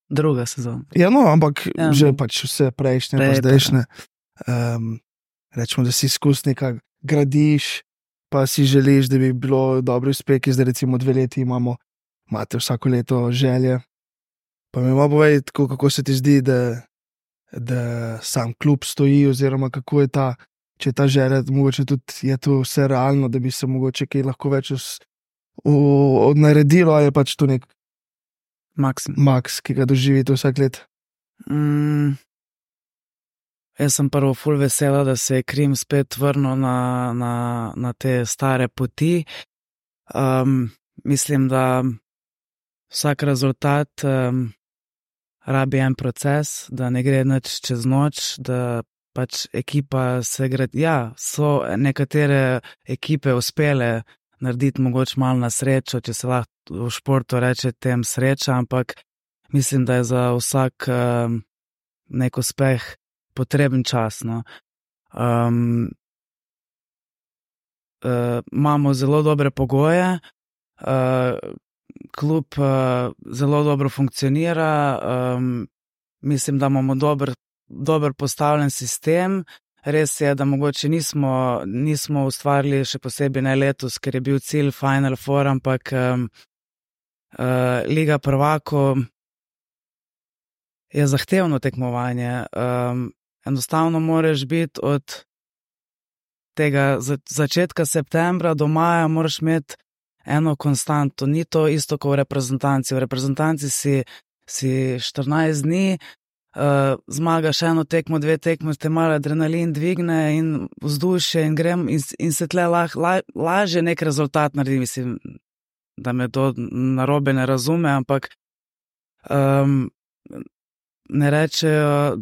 [SPEAKER 4] druga sezona.
[SPEAKER 3] Ja, no, ampak
[SPEAKER 4] Ja,
[SPEAKER 3] že
[SPEAKER 4] no.
[SPEAKER 3] pač vse prejšnje, pa
[SPEAKER 4] Prej,
[SPEAKER 3] zdajšnje. Rečemo, da si izkus nekaj gradiš, pa si želiš, da bi bilo dobro uspehi. Zdaj recimo 2 leti imate vsako leto želje. Pa mi malo povej, kako se ti zdi, da sam klub stoji, oziroma kako je če je ta želja, mogoče tudi je to vse realno, da bi se mogoče kaj lahko več naredilo, ali je pač to nek
[SPEAKER 4] Maksimum.
[SPEAKER 3] maks, ki ga doživite vsak let.
[SPEAKER 4] Jaz sem prvo ful vesela, da se je Krim spet vrnil na te stare poti. Mislim, da vsak rezultat rabi en proces, da ne gre nič čez noč, da pač ekipa se gradi. Ja, so nekatere ekipe uspele narediti mogoče malo na srečo, če se lahko v športu reče tem sreča, ampak mislim, da je za vsak nek uspeh potreben čas. No. Imamo zelo dobre pogoje, klub zelo dobro funkcionira, mislim, da imamo dober postavljen sistem. Res je, da mogoče nismo ustvarili še posebej ne letos, ker je bil cilj Final Four, ampak Liga prvakov je zahtevno tekmovanje. Enostavno moraš biti od tega začetka septembra do maja, moraš imeti eno konstanto. Ni to isto kot v reprezentanci. V reprezentanci si 14 dni, zmagaš eno tekmo, 2 tekmo, te malo adrenalin dvigne in vzdušje in grem in se tle lažje nek rezultat naredi. Mislim, da me to narobe ne razume, ampak ne rečejo,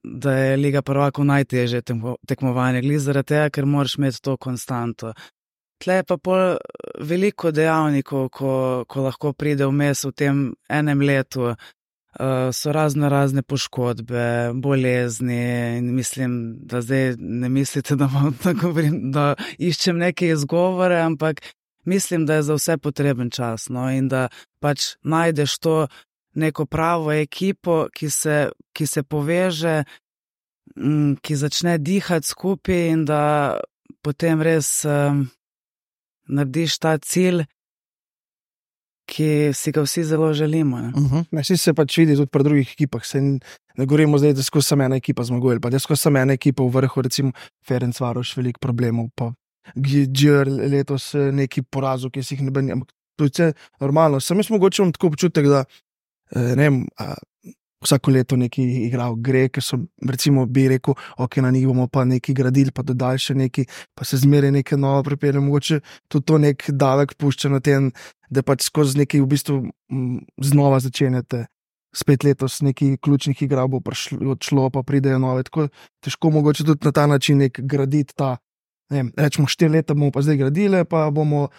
[SPEAKER 4] da je Liga prvakov najtežje tekmovanje, glih zaradi tega, ker moraš imeti to konstanto. Tle je pa pol veliko dejavnikov, ko lahko pride vmes v tem enem letu. So razne poškodbe, bolezni in mislim, da zdaj ne mislite, da iščem neke izgovore, ampak mislim, da je za vse potreben čas, no, in da pač najdeš to neko pravo ekipo, ki se poveže, ki začne dihati skupaj in da potem res narediš ta cilj, ki si ga vsi zelo želimo.
[SPEAKER 3] Vsi se pač vidi tudi pri drugih ekipah. Ne govorimo zdaj, da skozi samo ena ekipa zmaguje, pa da skozi samo ena ekipa v vrhu, recimo Ferencvaroš, veliko problemov, pa Gjer letos neki porazov, ki si jih ne bi, ampak to je vse normalno. Sam jaz mogoče imam tako občutek, da ne vem, vsako leto neki igral gre, ker so, recimo, bi rekel, ok, na njih bomo pa neki gradili, pa dodali še neki, pa se zmeraj nekaj novo pripelje. Mogoče tudi to nek davek pušča na tem, da pač skozi neki v bistvu znova začenjate. Spet letos neki ključnih igrav bo odšlo, pa pridejo nove. Tako težko mogoče tudi na ta način nek graditi ta, ne vem, rečemo 4 leta bomo pa zdaj gradili, pa bomo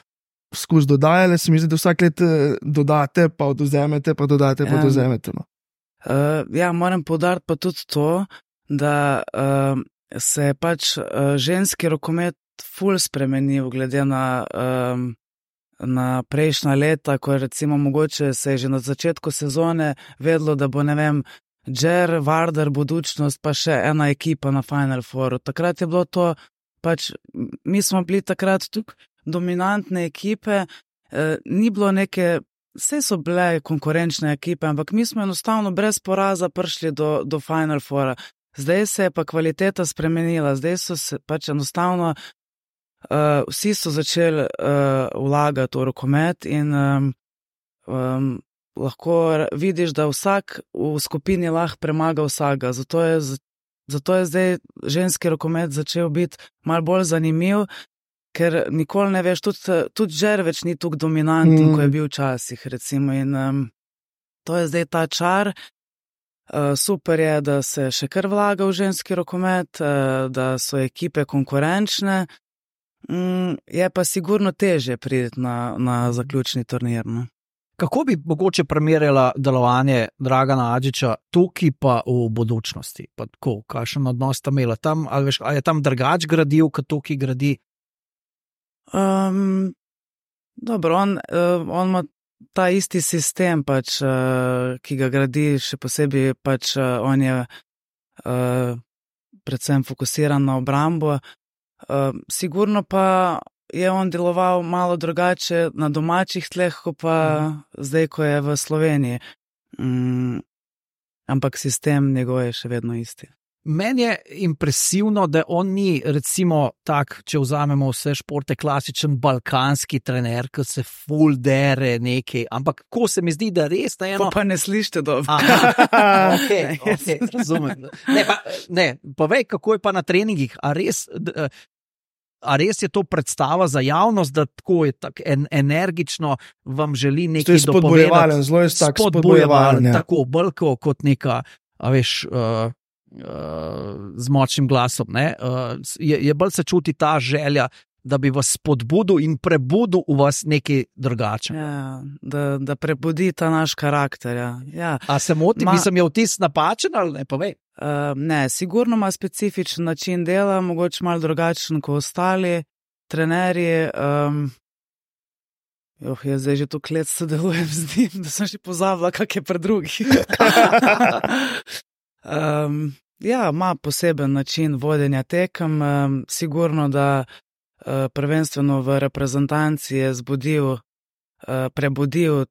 [SPEAKER 3] skozi dodajali. Se mi zdi, da vsak let dodate, pa odvzemete, pa dodate, pa odvzemete. No.
[SPEAKER 4] Ja, moram poudariti pa tudi to, da se je pač ženski rokomet ful spremenil glede na prejšnja leta, ko je recimo mogoče se je že na začetku sezone vedlo, da bo, ne vem, Džer, Vardar, Budućnost, pa še ena ekipa na Final Fouru. Takrat je bilo to pač, mi smo bili takrat tukaj dominantne ekipe, ni bilo neke, vse so bile konkurenčne ekipe, ampak mi smo enostavno brez poraza prišli do Final Foura. Zdaj se je pa kvaliteta spremenila, zdaj so se pač enostavno, vsi so začeli vlagati v rokomet in lahko vidiš, da vsak v skupini lahko premaga vsega. Zato je zdaj ženski rokomet začel biti malo bolj zanimiv, ker nikoli ne veš, tudi Žer več ni tako dominanten, ko je bil včasih, recimo. In to je zdaj ta čar. Super je, da se še kar vlaga v ženski rokomet, da so ekipe konkurenčne. Je pa sigurno težje priti na zaključni turnir. No?
[SPEAKER 2] Kako bi mogoče primerjala delovanje Dragana Adžiča tukaj pa v budučnosti? Pa tako, kakšen odnos sta imela tam? Ali je tam drugač gradil, kot tukaj gradi?
[SPEAKER 4] Dobro, on ima ta isti sistem, pač, ki ga gradi, še posebej pač, on je predvsem fokusiran na obrambo. Sigurno pa je on deloval malo drugače na domačih tleh, kot pa zdaj, ko je v Sloveniji. Ampak sistem njegov je še vedno isti.
[SPEAKER 2] Meni je impresivno, da on ni, recimo, tak, če vzamemo vse športe, klasičen balkanski trener, ki se full dere nekaj, ampak ko se mi zdi, da res na eno...
[SPEAKER 4] Pa ne slište dobro.
[SPEAKER 2] Okay, razumem. Povej, kako je pa na treningih, a res je to predstava za javnost, da tako je tako energično vam želi nekaj dopovedati?
[SPEAKER 3] Zelo je spodbujevalen.
[SPEAKER 2] Tako bolko kot neka, a veš... z močnim glasom. Je bolj se čuti ta želja, da bi vas spodbudil in prebudil v vas nekaj drugače.
[SPEAKER 4] Ja, da prebudi ta naš karakter. Ja.
[SPEAKER 2] A se motim, mislim, je vtis napačen ali ne, povej?
[SPEAKER 4] Ne, sigurno ima specifičen način dela, mogoče malo drugačen kot ostali trenerji. Jaz zdaj že toliko let sodelujem z njim, da sem že pozabila, kak je pri drugih. Ima poseben način vodenja tekem, sigurno, da prvenstveno v reprezentanci je prebudil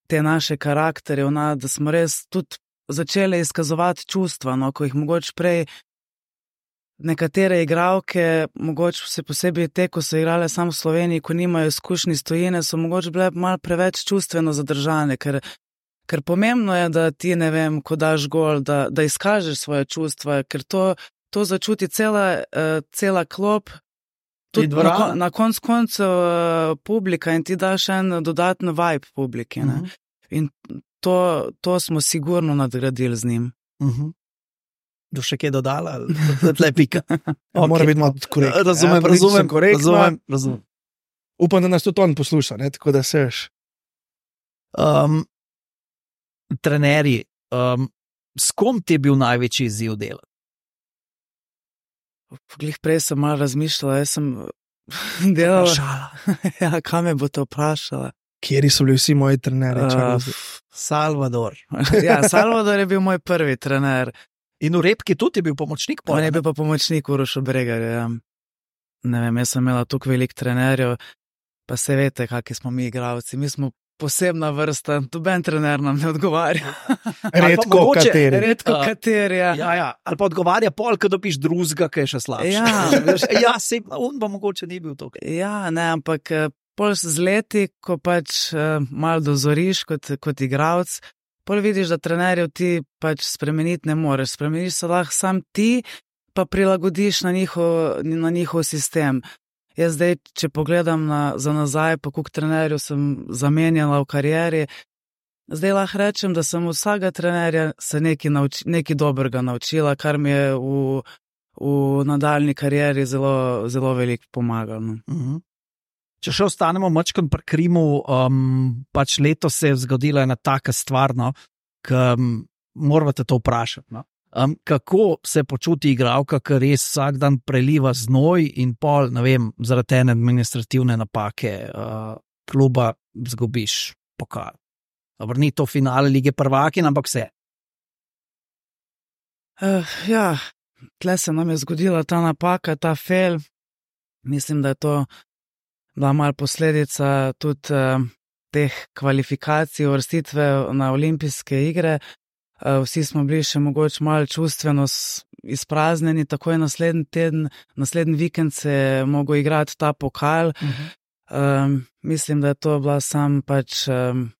[SPEAKER 4] te naše karakterje, da smo res tudi začeli izkazovati čustva, ko jih mogoče prej nekatere igralke, mogoče se posebej te, ko so igrale samo v Sloveniji, ko nimajo izkušnji iz tujine, so mogoče bile malo preveč čustveno zadržane, ker pomembno je, da ti, ne vem, ko daš gol, da izkažeš svoje čustva, ker to začuti cela klop, tudi na koncu publika in ti daš en dodatno vibe publiki. In to smo sigurno nadgradili z njim.
[SPEAKER 2] Do še kaj dodala? Tle pika.
[SPEAKER 3] Mora biti malo korektno.
[SPEAKER 2] Razumem.
[SPEAKER 3] Upam, da nas tudi on posluša, tako da seš.
[SPEAKER 2] Trenerji, s kom ti je bil največji izziv dela?
[SPEAKER 4] Glih prej sem malo razmišljala, jaz sem delala. Ja, kaj me bo to vprašala?
[SPEAKER 3] Kjeri so bili vsi moji trenerji?
[SPEAKER 2] Salvador.
[SPEAKER 4] Ja, Salvador je bil moj prvi trener.
[SPEAKER 2] In v Repki tudi je bil pomočnik?
[SPEAKER 4] On je bil pa pomočnik Urošu Bregarju, ja. Ne vem, jaz sem imela tukaj veliko trenerjev, pa se veste, kakvi smo mi igralci. Mi smo posebna vrsta, noben trener nam ne odgovarja.
[SPEAKER 3] Redko
[SPEAKER 4] kateri, ja.
[SPEAKER 2] Ja, ali pa odgovarja pol, ko dobiš drugega, ki je še slabši. Ja, on pa mogoče ni bil tukaj.
[SPEAKER 4] Ja, ne, ampak pol z leti, ko pač malo dozoriš kot igralec, pol vidiš, da trenerjev ti pač spremeniti ne moreš. Spremeniš se lahko sam ti, pa prilagodiš na njihov sistem. Jaz zdaj, če pogledam za nazaj, pa koliko trenerjev sem zamenjala v karieri, zdaj lahko rečem, da sem vsega trenerja se nekaj dobrega naučila, kar mi je v nadaljni karieri zelo, zelo veliko pomagalo.
[SPEAKER 2] Če še ostanemo mačkam pri Krimu, pač letos se je zgodila ena taka stvar, ki morate to vprašati. No? Kako se počuti igralka, ki res vsak dan preliva znoj in pol, ne vem, zaradi ene administrativne napake kluba zgubiš pokal. Dobro, ni to finale lige prvakin, ampak vse.
[SPEAKER 4] Ja, tle se nam je zgodila ta napaka, ta fail. Mislim, da je to bila malo posledica tudi teh kvalifikacij, uvrstitve na olimpijske igre. Vsi smo bili še mogoče malo čustveno izpraznjeni, takoj naslednji vikend se je mogel igrati ta pokal. Mislim, da je to bila pač,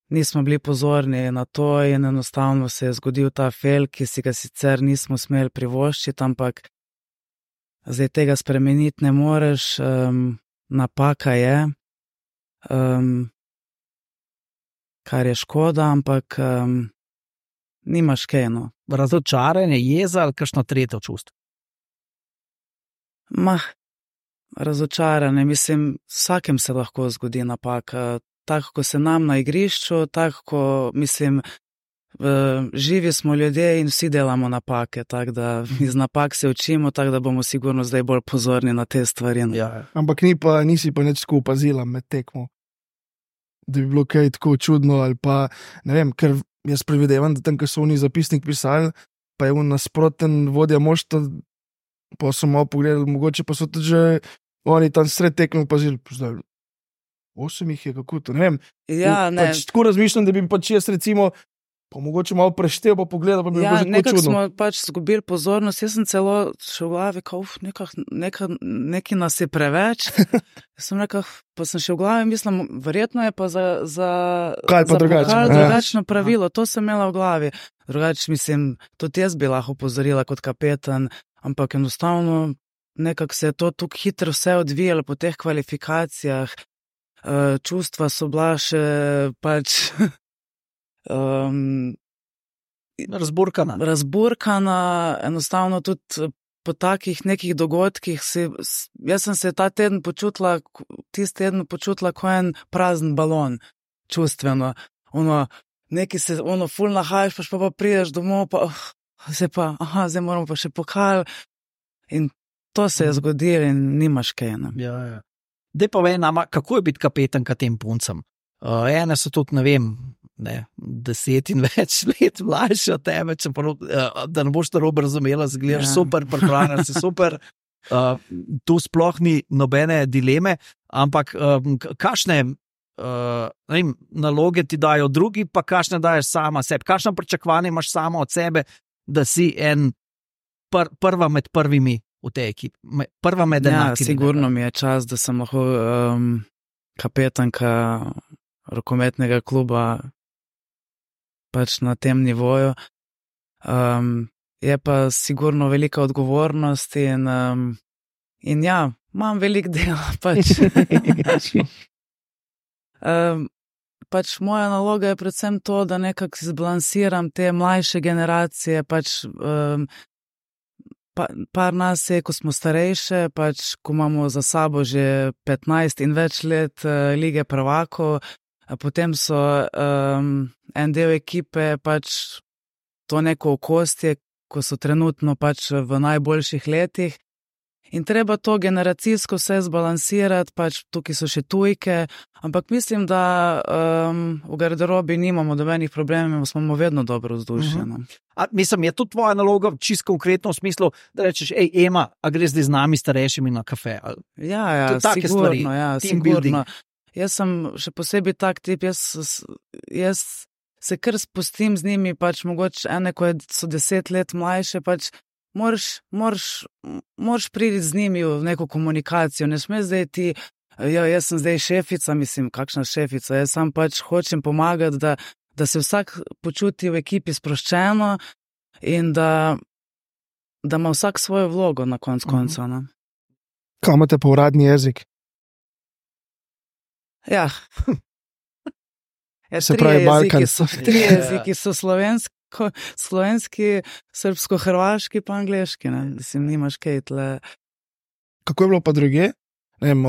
[SPEAKER 4] nismo bili pozorni na to in enostavno se je zgodil ta fail, ki si ga sicer nismo smeli privoščiti, ampak zdaj tega spremeniti ne moreš, napaka je, kar je škoda, ampak nimaš kaj, no.
[SPEAKER 2] Razočaranje, jeza ali kakšno tretje čustvo?
[SPEAKER 4] Razočaranje, mislim, vsakem se lahko zgodi napaka. Tako, ko se nam na igrišču, tako, mislim, živi smo ljudje in vsi delamo napake, tako da iz napak se učimo, tako da bomo sigurno zdaj bolj pozorni na te stvari.
[SPEAKER 2] Ja.
[SPEAKER 3] Ampak nisi pa nič tako opazila med tekmo, da bi bilo kaj tako čudno ali pa, ne vem, ker jaz predvidevam, da tam, ko so oni zapisnik pisali, pa je on nasproten vodja moštva, pa so malo pogledali, mogoče pa so tudi že oni tam sred tekme opazili, zdaj 8 jih je, kako to, ne vem.
[SPEAKER 4] Ja, ne.
[SPEAKER 3] Pač tako razmišljam, da bi pač jaz recimo pa mogoče malo preštel, pa pogledal, pa bi bilo že tako čudno.
[SPEAKER 4] Nekako smo pač zgubili pozornost, jaz sem celo še v glavi, nekaj nas je preveč. Pa sem še v glavi, mislim, verjetno je pa za drugačno pravilo, to sem imela v glavi. Drugače, mislim, tudi jaz bi lahko opozorila kot kapetan, ampak enostavno nekako se je to tako hitro vse odvijalo po teh kvalifikacijah, čustva so bila še pač razburkana, enostavno tudi po takih nekih dogodkih jaz sem se tisti teden počutila kot en prazen balon, čustveno. Ful nahajaš, pa prideš domov, pa zdaj moramo pa še pokal. In to se je zgodilo in nimaš kaj.
[SPEAKER 2] Ja. Dej pa vej nama, kako je biti kapetanka tem puncem? Ene so tudi, ne vem, 10 in več let mlajše od tebe, da ne boš to robe razumela, zgledaš super, pripravljena si super, tu sploh ni nobene dileme, ampak kakšne naloge ti dajo drugi, pa kakšne daješ sama sebi, kakšne pričakovanje imaš sama od sebe, da si prva med prvimi v tej ekipi, prva med enakimi.
[SPEAKER 4] Sigurno mi je čas, da sem lahko kapetanka rokometnega kluba pač na tem nivoju. Je pa sigurno velika odgovornost in imam veliko dela pač. Pač moja naloga je predvsem to, da nekako zbalansiram te mlajše generacije, pač par nas je, ko smo starejše, pač ko imamo za sabo že 15 in več let lige prvakov, potem so en del ekipe pač to neko okostje, ko so trenutno pač v najboljših letih. In treba to generacijsko vse zbalansirati, pač tukaj so še tujke, ampak mislim, da v garderobi nimamo dobenih problemov, smo vedno dobro vzdušje.
[SPEAKER 2] Mislim, je to tvoja naloga čisto konkretno v smislu, da rečeš, Ema, a greš zdaj z nami starejšimi na kafe?
[SPEAKER 4] Ja, sigurno, sigurno. Jaz sem še posebej tak tip, jaz se kar spustim z njimi, pač mogoče ene, ko so 10 let mlajše, pač moraš priti z njimi v neko komunikacijo, ne sme zdaj ti, jaz sem zdaj šefica, mislim, kakšna šefica, jaz sam pač hočem pomagati, da se vsak počuti v ekipi sproščeno in da ima vsak svojo vlogo na koncu.
[SPEAKER 3] Kaj imate pa uradni jezik?
[SPEAKER 4] Ja.
[SPEAKER 3] Se pravi Balkan.
[SPEAKER 4] Tri jeziki so slovenski, srbsko-hrvaški pa angleški, ne? Mislim, nimaš kaj tle.
[SPEAKER 3] Kako je bilo pa druge? Ne vem,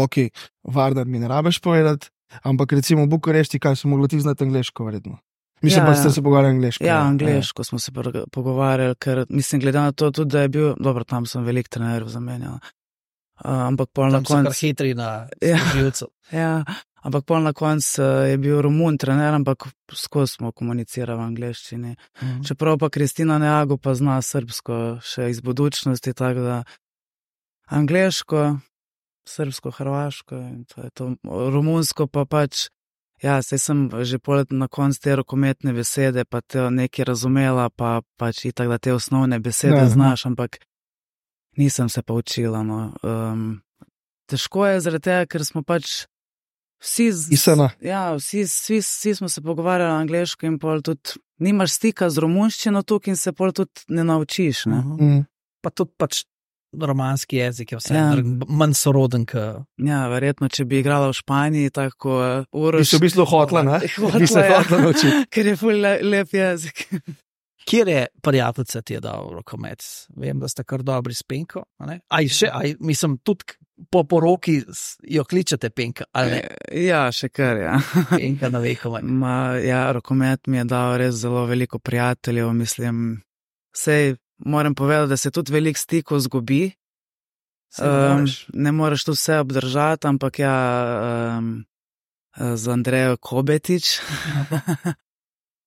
[SPEAKER 3] Vardar mi ne rabeš povedati, ampak recimo v Bukurešti, kaj so mogli ti znati angleško vredno? Mislim, pa ste se pogovarjali angleško.
[SPEAKER 4] Ja, angleško smo se pogovarjali, ker mislim, glede na to tudi, da je bil, dobro, tam sem velik trenerjev zamenjal, ampak pol na koncu.
[SPEAKER 2] Tam so kar hitri na živcu.
[SPEAKER 4] Ja, ampak pol na koncu je bil Romun trener, ampak skozi smo komunicirali v angleščini. Čeprav pa Kristina Neago pa zna srbsko še iz budućnosti, tako da angleško, srbsko, hrvaško in to je to. Romunsko pa pač, saj sem že na koncu te rokometne besede, pa te nekaj razumela, pa pač itak, da te osnovne besede znaš, ampak nisem se pa učila. Težko je zaradi tega, ker smo pač vsi smo se pogovarjali angleško in pol tudi nimaš stika z romunščino tukaj in se pol tudi ne naučiš.
[SPEAKER 2] Pa tudi pač romanski jezik je vse manj soroden.
[SPEAKER 4] Ja, verjetno, če bi igrala v Španiji, tako
[SPEAKER 3] Bi se v bistvu hotla, ne?
[SPEAKER 4] Hotla naučiti. Ker je ful lep jezik.
[SPEAKER 2] Kjer je prijateljica ti je dal rokomet? Vem, da ste kar dobri s Penko. Mislim, tudi po poroki jo kličete Penka.
[SPEAKER 4] Ja, še kar, ja.
[SPEAKER 2] Penka na vekomaj.
[SPEAKER 4] Ja, rokomet mi je dal res zelo veliko prijateljev, mislim, sej moram povedati, da se tudi veliko stikov zgubi. Ne moreš tu vse obdržati, ampak ja, z Andrejo Kobetič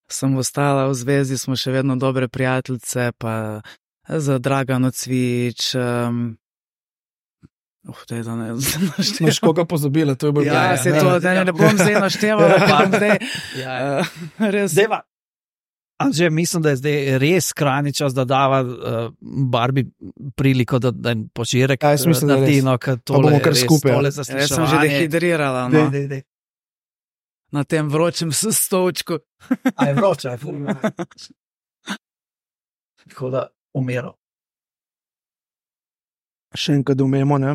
[SPEAKER 4] sem ostala v zvezi, smo še vedno dobre prijateljice, pa za Dragano Cvič.
[SPEAKER 3] Noš koga pozabila, to je bolj
[SPEAKER 4] se to, ne bom zdaj naštevala, pa zdaj. Res.
[SPEAKER 2] Anže, mislim, da je zdaj res krajni čas, da dava Barbie priliko, da jim požirek naredi, no, ker tole
[SPEAKER 3] kar skupaj.
[SPEAKER 4] Jaz sem že dehidrirala, no. Na tem vročem stolčku.
[SPEAKER 2] A je vroče, je ful. Tako da umero.
[SPEAKER 3] Še enkrat umemo, ne?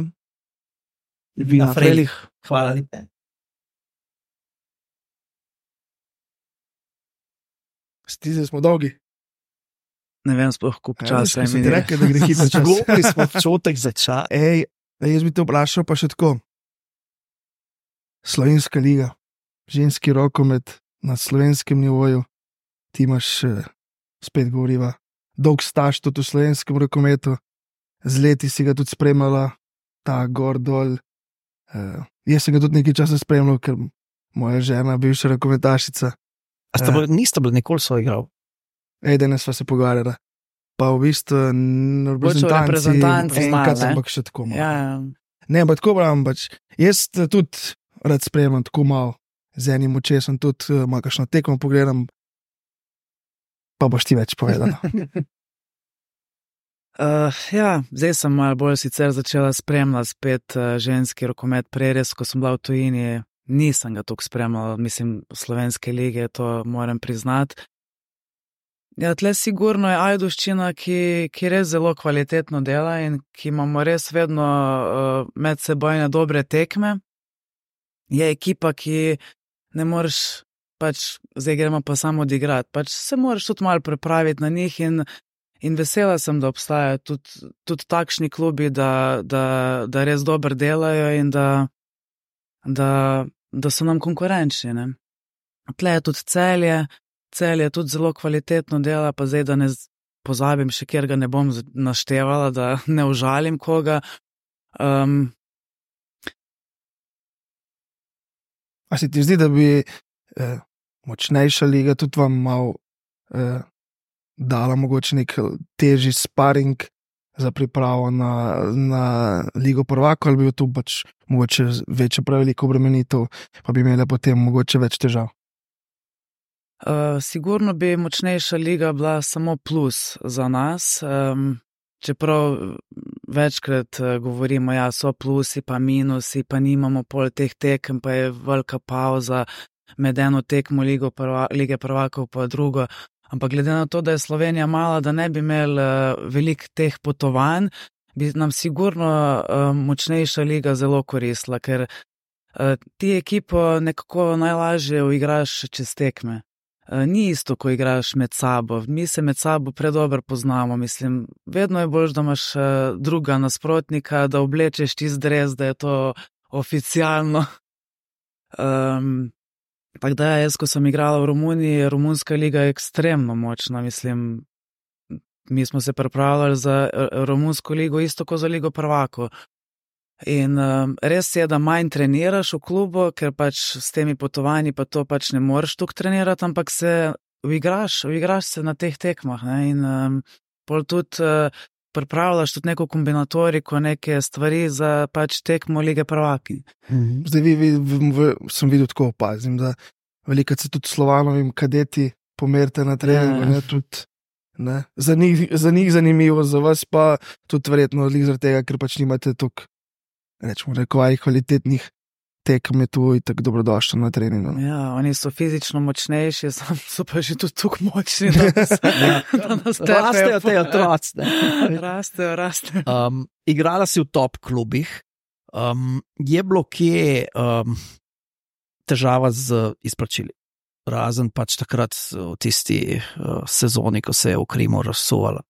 [SPEAKER 2] Na frelih. Hvala lepe.
[SPEAKER 3] Stize smo dolgi.
[SPEAKER 4] Ne vem, sploh koliko časa je
[SPEAKER 3] minilo. Rekel, da gre hitro čas.
[SPEAKER 2] Zgubili smo občutek za čas.
[SPEAKER 3] Jaz bi te vprašal pa še tako. Slovenska liga, ženski rokomet na slovenskem nivoju, ti imaš, spet govoriva, dolg staž tudi v slovenskem rokometu, z leti si ga tudi spremljala, ta gor dol. Jaz sem ga tudi nekaj časa spremljal, ker moja žena, bivša rokometašica.
[SPEAKER 2] Niste bili nikoli soigral?
[SPEAKER 3] Danes sva se pogovarjala. Pa v bistvu
[SPEAKER 4] reprezentanci
[SPEAKER 3] enkrat, ampak še tako malo.
[SPEAKER 4] Ja.
[SPEAKER 3] Ne, pa tako pravim, jaz tudi rad spremljam tako malo, z enim očesom tudi malo kakšno tekmo pogledam, pa boš ti več povedala.
[SPEAKER 4] Zdaj sem malo bolj sicer začela spremljati spet ženski rokomet, prej res, ko sem bila v tujini, nisem ga toliko spremljala, mislim, slovenske lige, to moram priznati. Ja, tle sigurno je Ajdovščina, ki res zelo kvalitetno dela in ki imamo res vedno medsebojne dobre tekme. Je ekipa, ki ne moreš, zdaj gremo pa samo odigrati, se moraš tudi malo pripraviti na njih in vesela sem, da obstajajo tudi takšni klubi, da res dobro delajo in da so nam konkurenčni, ne. Tle je tudi Celje tudi zelo kvalitetno dela, pa zdaj, da ne pozabim še, kjer ga ne bom naštevala, da ne užalim koga.
[SPEAKER 3] A se ti zdi, da bi močnejša liga tudi vam malo dala mogoče nek težji sparing za pripravo na Ligo prvakov, ali bi tu mogoče večja preveliko obremenitev, pa bi imela potem mogoče več težav?
[SPEAKER 4] Sigurno bi močnejša liga bila samo plus za nas, čeprav večkrat govorimo, ja, so plusi pa minusi, pa nimamo pol teh tekem, pa je velika pauza med eno tekmo Lige prvakov pa drugo. Ampak glede na to, da je Slovenija mala, da ne bi imeli veliko teh potovanj, bi nam sigurno močnejša liga zelo koristila, ker ti ekipo nekako najlažje uigraš čez tekme. Ni isto, ko igraš med sabo. Mi se med sabo predobro poznamo, mislim, vedno je bolj, da imaš druga nasprotnika, da oblečeš tisti dres, da je to oficialno. Tako da jaz, ko sem igrala v Romuniji, romunska liga je ekstremno močna, mislim, mi smo se pripravljali za romunsko ligo isto kot za Ligo prvakov. In res je, da manj treniraš v klubu, ker s temi potovanji pa to ne moreš toliko trenirati, ampak se uigraš se na teh tekmah, ne? In pol tudi pripravljaš tudi neko kombinatoriko, neke stvari za tekmo Lige prvaki.
[SPEAKER 3] Zdaj sem videl tako opazim, da velikokrat se tudi Slovanovim kadeti pomerite na treningu, ne, tudi, ne, za njih zanimivo, za vas pa tudi verjetno zaradi tega, ker nimate toliko, rečemo, kvalitetnih tekem, je tu in tako dobrodošlo na treningu.
[SPEAKER 4] Ja, oni so fizično močnejši, so pa že tudi tako močni, da nas tepejo.
[SPEAKER 2] Rastejo te otroci.
[SPEAKER 4] Rastejo.
[SPEAKER 2] Igrala si v top klubih. Je bilo kje težava z izplačili? razen pač takrat v tisti sezoni, ko se je v Krimu razsuvala.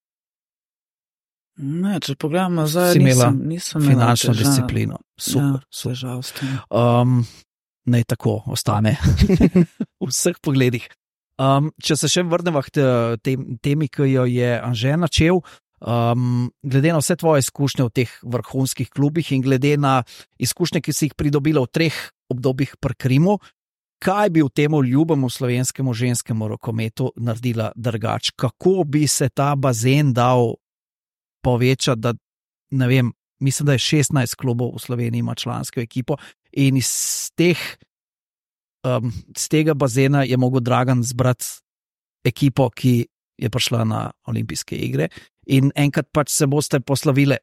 [SPEAKER 4] Ne, če pogledamo zdaj,
[SPEAKER 2] Si imela
[SPEAKER 4] nisem
[SPEAKER 2] finančno
[SPEAKER 4] težav.
[SPEAKER 2] disciplino. Super, super.
[SPEAKER 4] Težav s tem.
[SPEAKER 2] Naj tako ostane v vseh pogledih. Če se še vrnemo k temi, ki jo je Anže načel, glede na vse tvoje izkušnje v teh vrhunskih klubih in glede na izkušnje, ki si jih pridobila v 3 obdobjih pri Krimu, kaj bi v temu ljubemu slovenskemu ženskemu rokometu naredila drugače? Kako bi se ta bazen dal povečati, da ne vem, mislim, da je 16 klubov v Sloveniji ima člansko ekipo in iz tega bazena je mogel Dragan zbrati ekipo, ki je prišla na olimpijske igre in enkrat pač se boste poslovile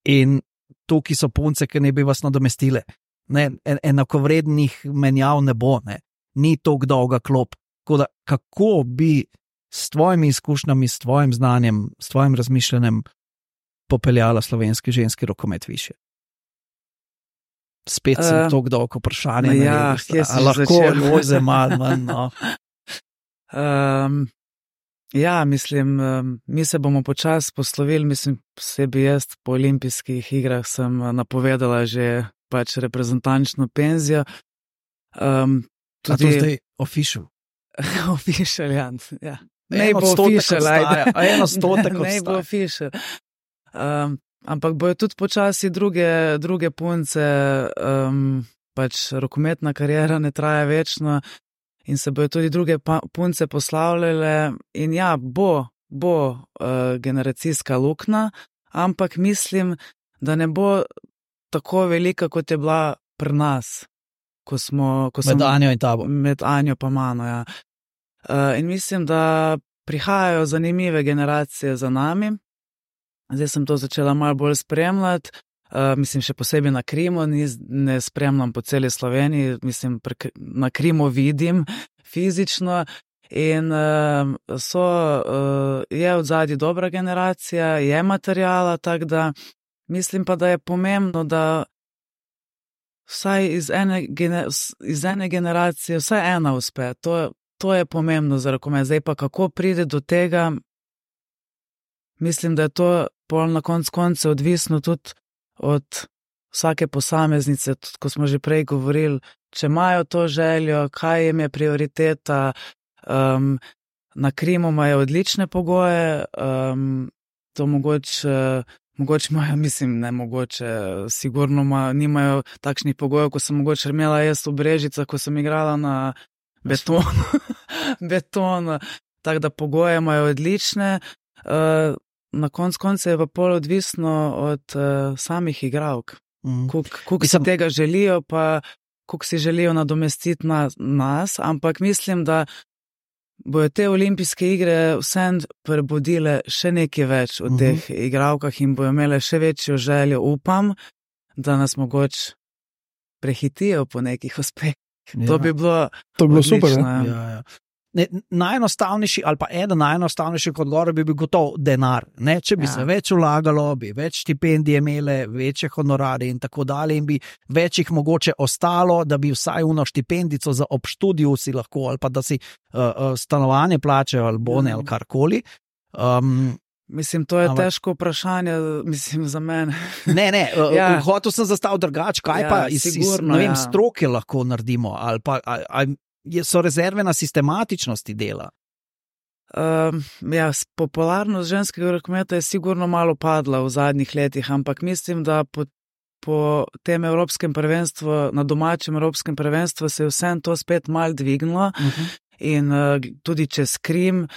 [SPEAKER 2] in tukaj so punce, ki ne bi vas nadomestile. Ne, enakovrednih menjav ne bo, ne. Ni toliko dolga klop. Tako da, kako bi s tvojimi izkušnjami, s tvojim znanjem, s tvojim razmišljanjem popeljala slovenski ženski rokomet više? Spet sem toliko dolgo vprašanje. Lahko Lojze malo manj. No.
[SPEAKER 4] Ja, mislim, mi se bomo počasi poslovili, mislim, posebej jaz po olimpijskih igrah sem napovedala že pač reprezentančno penzijo.
[SPEAKER 2] Tudi... A to zdaj official?
[SPEAKER 4] Official, ja. Ne bo official, ajde.
[SPEAKER 2] 100%
[SPEAKER 4] ne bo official. Ampak bojo tudi počasi druge punce, pač rokometna karijera ne traja večno in se bojo tudi druge punce poslavljale in ja, bo generacijska luknja, ampak mislim, da ne bo tako velika, kot je bila pri nas,
[SPEAKER 2] med Anjo in tabo.
[SPEAKER 4] Med Anjo pa mano, ja. In mislim, da prihajajo zanimive generacije za nami. Zdaj sem to začela malo bolj spremljati, mislim še posebej na Krimu, ne spremljam po celi Sloveniji, mislim na Krimu vidim fizično in je odzadnji dobra generacija, je materijala, tako da mislim pa, da je pomembno, da vsaj iz ene generacije vsaj ena uspe, to je pomembno za rokomet. Zdaj pa kako pride do tega, mislim, da je to pol na koncu odvisno tudi od vsake posameznice, tudi ko smo že prej govorili, če imajo to željo, kaj jim je prioriteta. Na Krimu imajo odlične pogoje, to mogoče imajo, mislim, ne mogoče, sigurno nimajo takšnih pogojev, ko sem mogoče imela jaz v Brežicah, ko sem igrala na betonu, tako da pogoje imajo odlične. Na koncu je pa pol odvisno od samih igralk. Koliko si tega želijo, pa koliko si želijo nadomestiti nas, ampak mislim, da bojo te olimpijske igre vsem prebudile še nekaj več od teh igralkah in bojo imele še večjo željo, upam, da nas mogoče prehitijo po nekih uspehih. Ja. To bi bilo
[SPEAKER 3] super.
[SPEAKER 2] Ja. Najenostavnejši ali pa eden najenostavnejših odgovorov bi bil gotov denar. Ne? Če bi se več vlagalo, bi več štipendij imele, večje honorarje in tako dalje in bi več jih mogoče ostalo, da bi vsaj uno štipendico za ob študiju si lahko ali pa da si stanovanje plačajo ali bone ali karkoli.
[SPEAKER 4] Mislim, to je težko vprašanje, mislim, za mene.
[SPEAKER 2] Ne, hotel sem zastaviti drugače, kaj pa iz stroke lahko naredimo ali pa so rezerve na sistematičnosti dela?
[SPEAKER 4] Popularnost ženskega rokometa je sigurno malo padla v zadnjih letih, ampak mislim, da po tem evropskem prvenstvu, na domačem evropskem prvenstvu se je vsem to spet malo dvignilo. In tudi čez Krim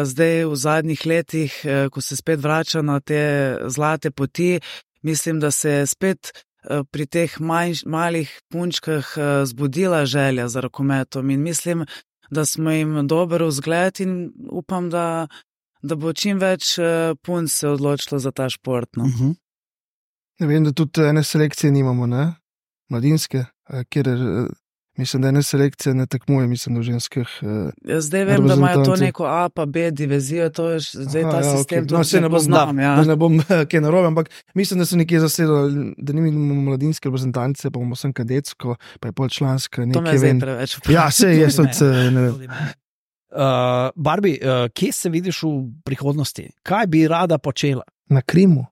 [SPEAKER 4] zdaj v zadnjih letih, ko se spet vrača na te zlate poti, mislim, da se je spet pri teh malih punčkah zbudila želja za rokometom in mislim, da smo jim dober vzgled in upam, da bo čim več punc se odločilo za ta šport. No.
[SPEAKER 3] Ne vem, da tudi ene selekcije nimamo, ne? Mladinske, kjer Mislim, da ena selekcija ne tekmuje, mislim, da v ženskih.
[SPEAKER 4] Zdaj vem, da imajo to neko A pa B divizijo, to je zdaj ta sistem,
[SPEAKER 3] okay. No, se ne
[SPEAKER 4] poznam.
[SPEAKER 3] Da ne bom kaj narobe, ampak mislim, da so nekje zasedali, da ni imamo mladinske reprezentance, pa bomo sem kadetsko, pa je polčlanska.
[SPEAKER 4] To me zdaj preveč vprašam.
[SPEAKER 3] Ja, se je, ne vem.
[SPEAKER 2] Barbie, kje se vidiš v prihodnosti? Kaj bi rada počela?
[SPEAKER 3] Na Krimu.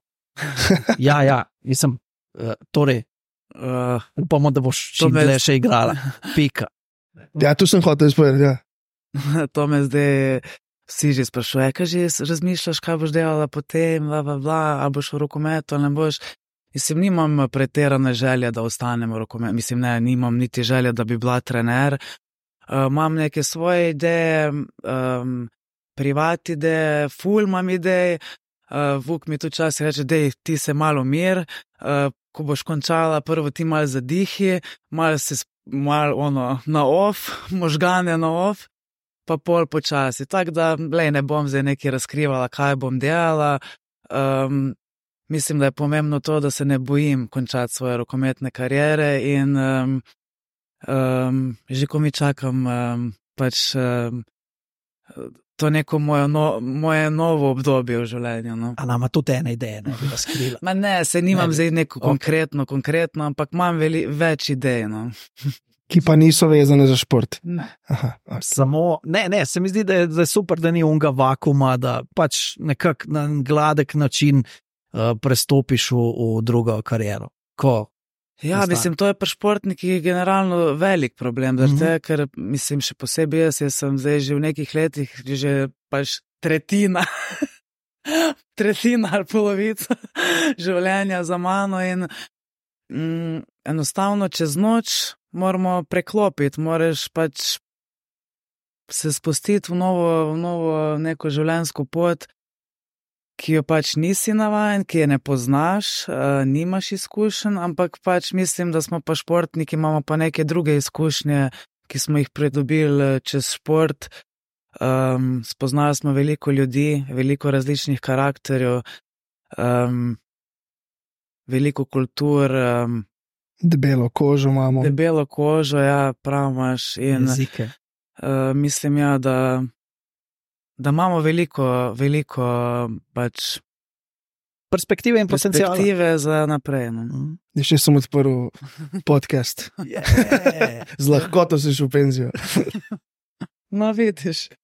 [SPEAKER 2] Ja, mislim, torej, upamo, da boš čim dlje še igrala. Pika.
[SPEAKER 3] Ja, tu sem hotel izpovedati, ja.
[SPEAKER 4] To me zdaj vsi že sprašuje, kaj že razmišljaš, kaj boš delala potem, ali boš v rokometu, ali ne boš. Mislim, nimam pretirane želje, da ostanem v rokometu. Mislim, ne, nimam niti želje, da bi bila trener. Imam neke svoje ideje, privat ideje, ful imam ideje. Vuk mi tu čas reče, dej, ti se malo mir, ko boš končala, prvo ti malo zadihi, malo na off, možgane na off, pa pol počasi. Tako da, ne bom zdaj nekaj razkrivala, kaj bom delala. Mislim, da je pomembno to, da se ne bojim končati svoje rokometne kariere in že ko mi čakam to neko moje novo obdobje v življenju. No.
[SPEAKER 2] A nama tudi ena ideja ne bi razkrila?
[SPEAKER 4] Ne, se nimam zdaj neko konkretno, ampak imam več idej. No.
[SPEAKER 3] Ki pa niso vezane za šport.
[SPEAKER 2] Ne. Aha, okay. Samo, se mi zdi, da je super, da ni unga vakuma, da pač nekako na gladek način prestopiš v drugo kariero.
[SPEAKER 4] Ja, mislim, to je pri športnikih generalno velik problem, ker mislim, še posebej jaz sem zdaj že v nekih letih, že pač tretjina ali polovica življenja za mano in enostavno čez noč moramo preklopiti, moraš pač se spustiti v novo neko življenjsko pot, ki jo pač nisi navajen, ki je ne poznaš, nimaš izkušenj, ampak pač mislim, da smo pa športniki, imamo pa neke druge izkušnje, ki smo jih pridobili čez šport. Spoznali smo veliko ljudi, veliko različnih karakterjev, veliko kultur.
[SPEAKER 3] Debelo kožo imamo.
[SPEAKER 4] Debelo kožo, ja, prav imaš. In mislim, ja, da imamo veliko pač
[SPEAKER 2] perspektive in potencijala.
[SPEAKER 4] Perspektive za naprej. No.
[SPEAKER 3] Še sem odprl podcast. Z lahkoto si šel v penzijo.
[SPEAKER 4] No, vidiš.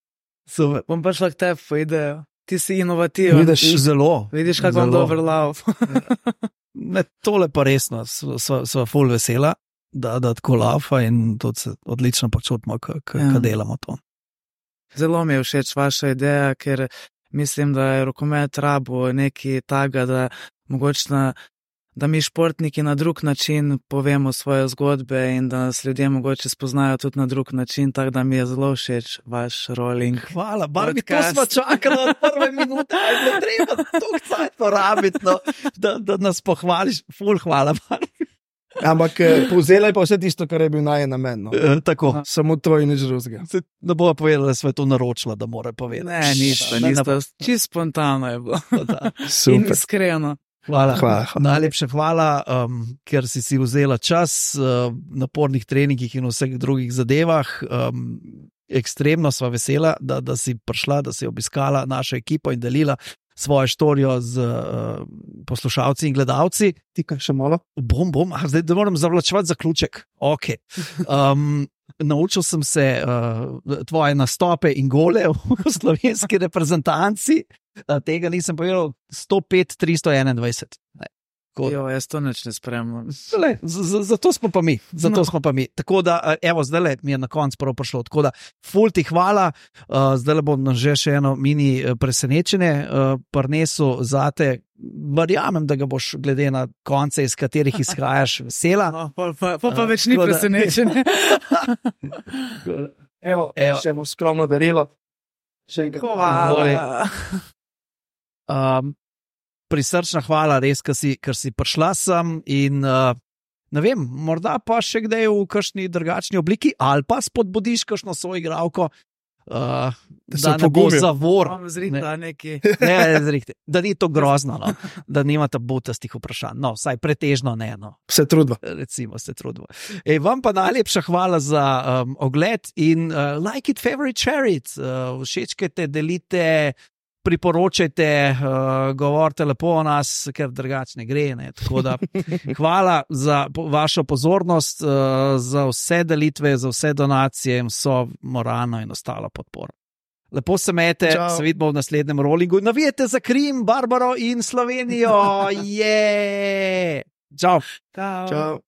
[SPEAKER 2] Super.
[SPEAKER 4] Bom pa šla k tebi po idejo. Ti si inovativen. Vidiš, kako bom dober lav.
[SPEAKER 2] Tole pa resno, sva ful vesela, da tako laufa in tudi se odlično počutimo, ko delamo to.
[SPEAKER 4] Zelo mi je všeč vaša ideja, ker mislim, da je rokomet rabo nekaj taga, da mogoče da mi športniki na drug način povemo svoje zgodbe in da nas ljudje mogoče spoznajo tudi na drug način, tako da mi je zelo všeč vaš rolling.
[SPEAKER 2] Hvala, Barbie, to smo čakali od prve minute, ali je treba toliko cajt porabiti, no, da nas pohvališ. Ful, hvala, Barbie.
[SPEAKER 3] Ampak povzela je pa vse tisto, kar je bil najen namen. No.
[SPEAKER 2] Tako.
[SPEAKER 3] Samo to in nič drugega.
[SPEAKER 2] Ne bo povedala, da sva to naročila, da mora povedati.
[SPEAKER 4] Ne, nista. Čisto spontano je bilo.
[SPEAKER 3] Super.
[SPEAKER 4] In iskreno.
[SPEAKER 2] Hvala. Najlepše hvala, ker si vzela čas napornih treningih in vseh drugih zadevah. Ekstremno sva vesela, da si prišla, da si obiskala našo ekipo in delila svojo štorijo z poslušalci in gledalci.
[SPEAKER 3] Ti kaj še malo?
[SPEAKER 2] Bom. Zdaj da moram zavlačevati zaključek. Ok. Naučil sem se tvoje nastope in gole v slovenski reprezentanci. Tega nisem povedal. 105-321.
[SPEAKER 4] Jo, jaz to nič ne spremljam.
[SPEAKER 2] Zato smo pa mi. Tako da, evo, zdaj mi je na koncu prav prišlo. Tako da, ful ti hvala. Zdaj bom že še eno mini presenečenje prinesel zate. Verjamem, da ga boš glede na konce, iz katerih izhajaš, vesela.
[SPEAKER 4] No, pa več ni presenečenje.
[SPEAKER 3] Evo, še eno skromno darilo. Še enkrat.
[SPEAKER 4] Hvala.
[SPEAKER 2] Prisrčna hvala, res, ker si prišla sem in ne vem, morda pa še kdaj v kakšni drugačni obliki ali pa spodbudiš kakšno soigralko
[SPEAKER 3] se
[SPEAKER 2] da ne bo
[SPEAKER 3] opogumijo.
[SPEAKER 2] zavor.
[SPEAKER 4] Imam zrihta neki.
[SPEAKER 2] Ne, zrihte. Da ni to grozno, no. Da nimate butastih vprašanj. No, vsaj pretežno ne. No.
[SPEAKER 3] Se trudva.
[SPEAKER 2] Recimo se trudimo. Vam pa najlepša hvala za ogled in like it, favorite, share it. Všečkajte, delite, priporočajte, govorite lepo o nas, ker drugače ne gre. Ne. Tako da hvala za vašo pozornost, za vse delitve, za vse donacije in vso moralno in ostalo podporo. Lepo se imejte, se vidimo v naslednjem rollingu. Navijete za Krim, Barbaro in Slovenijo. Je! Čau!
[SPEAKER 3] Čau.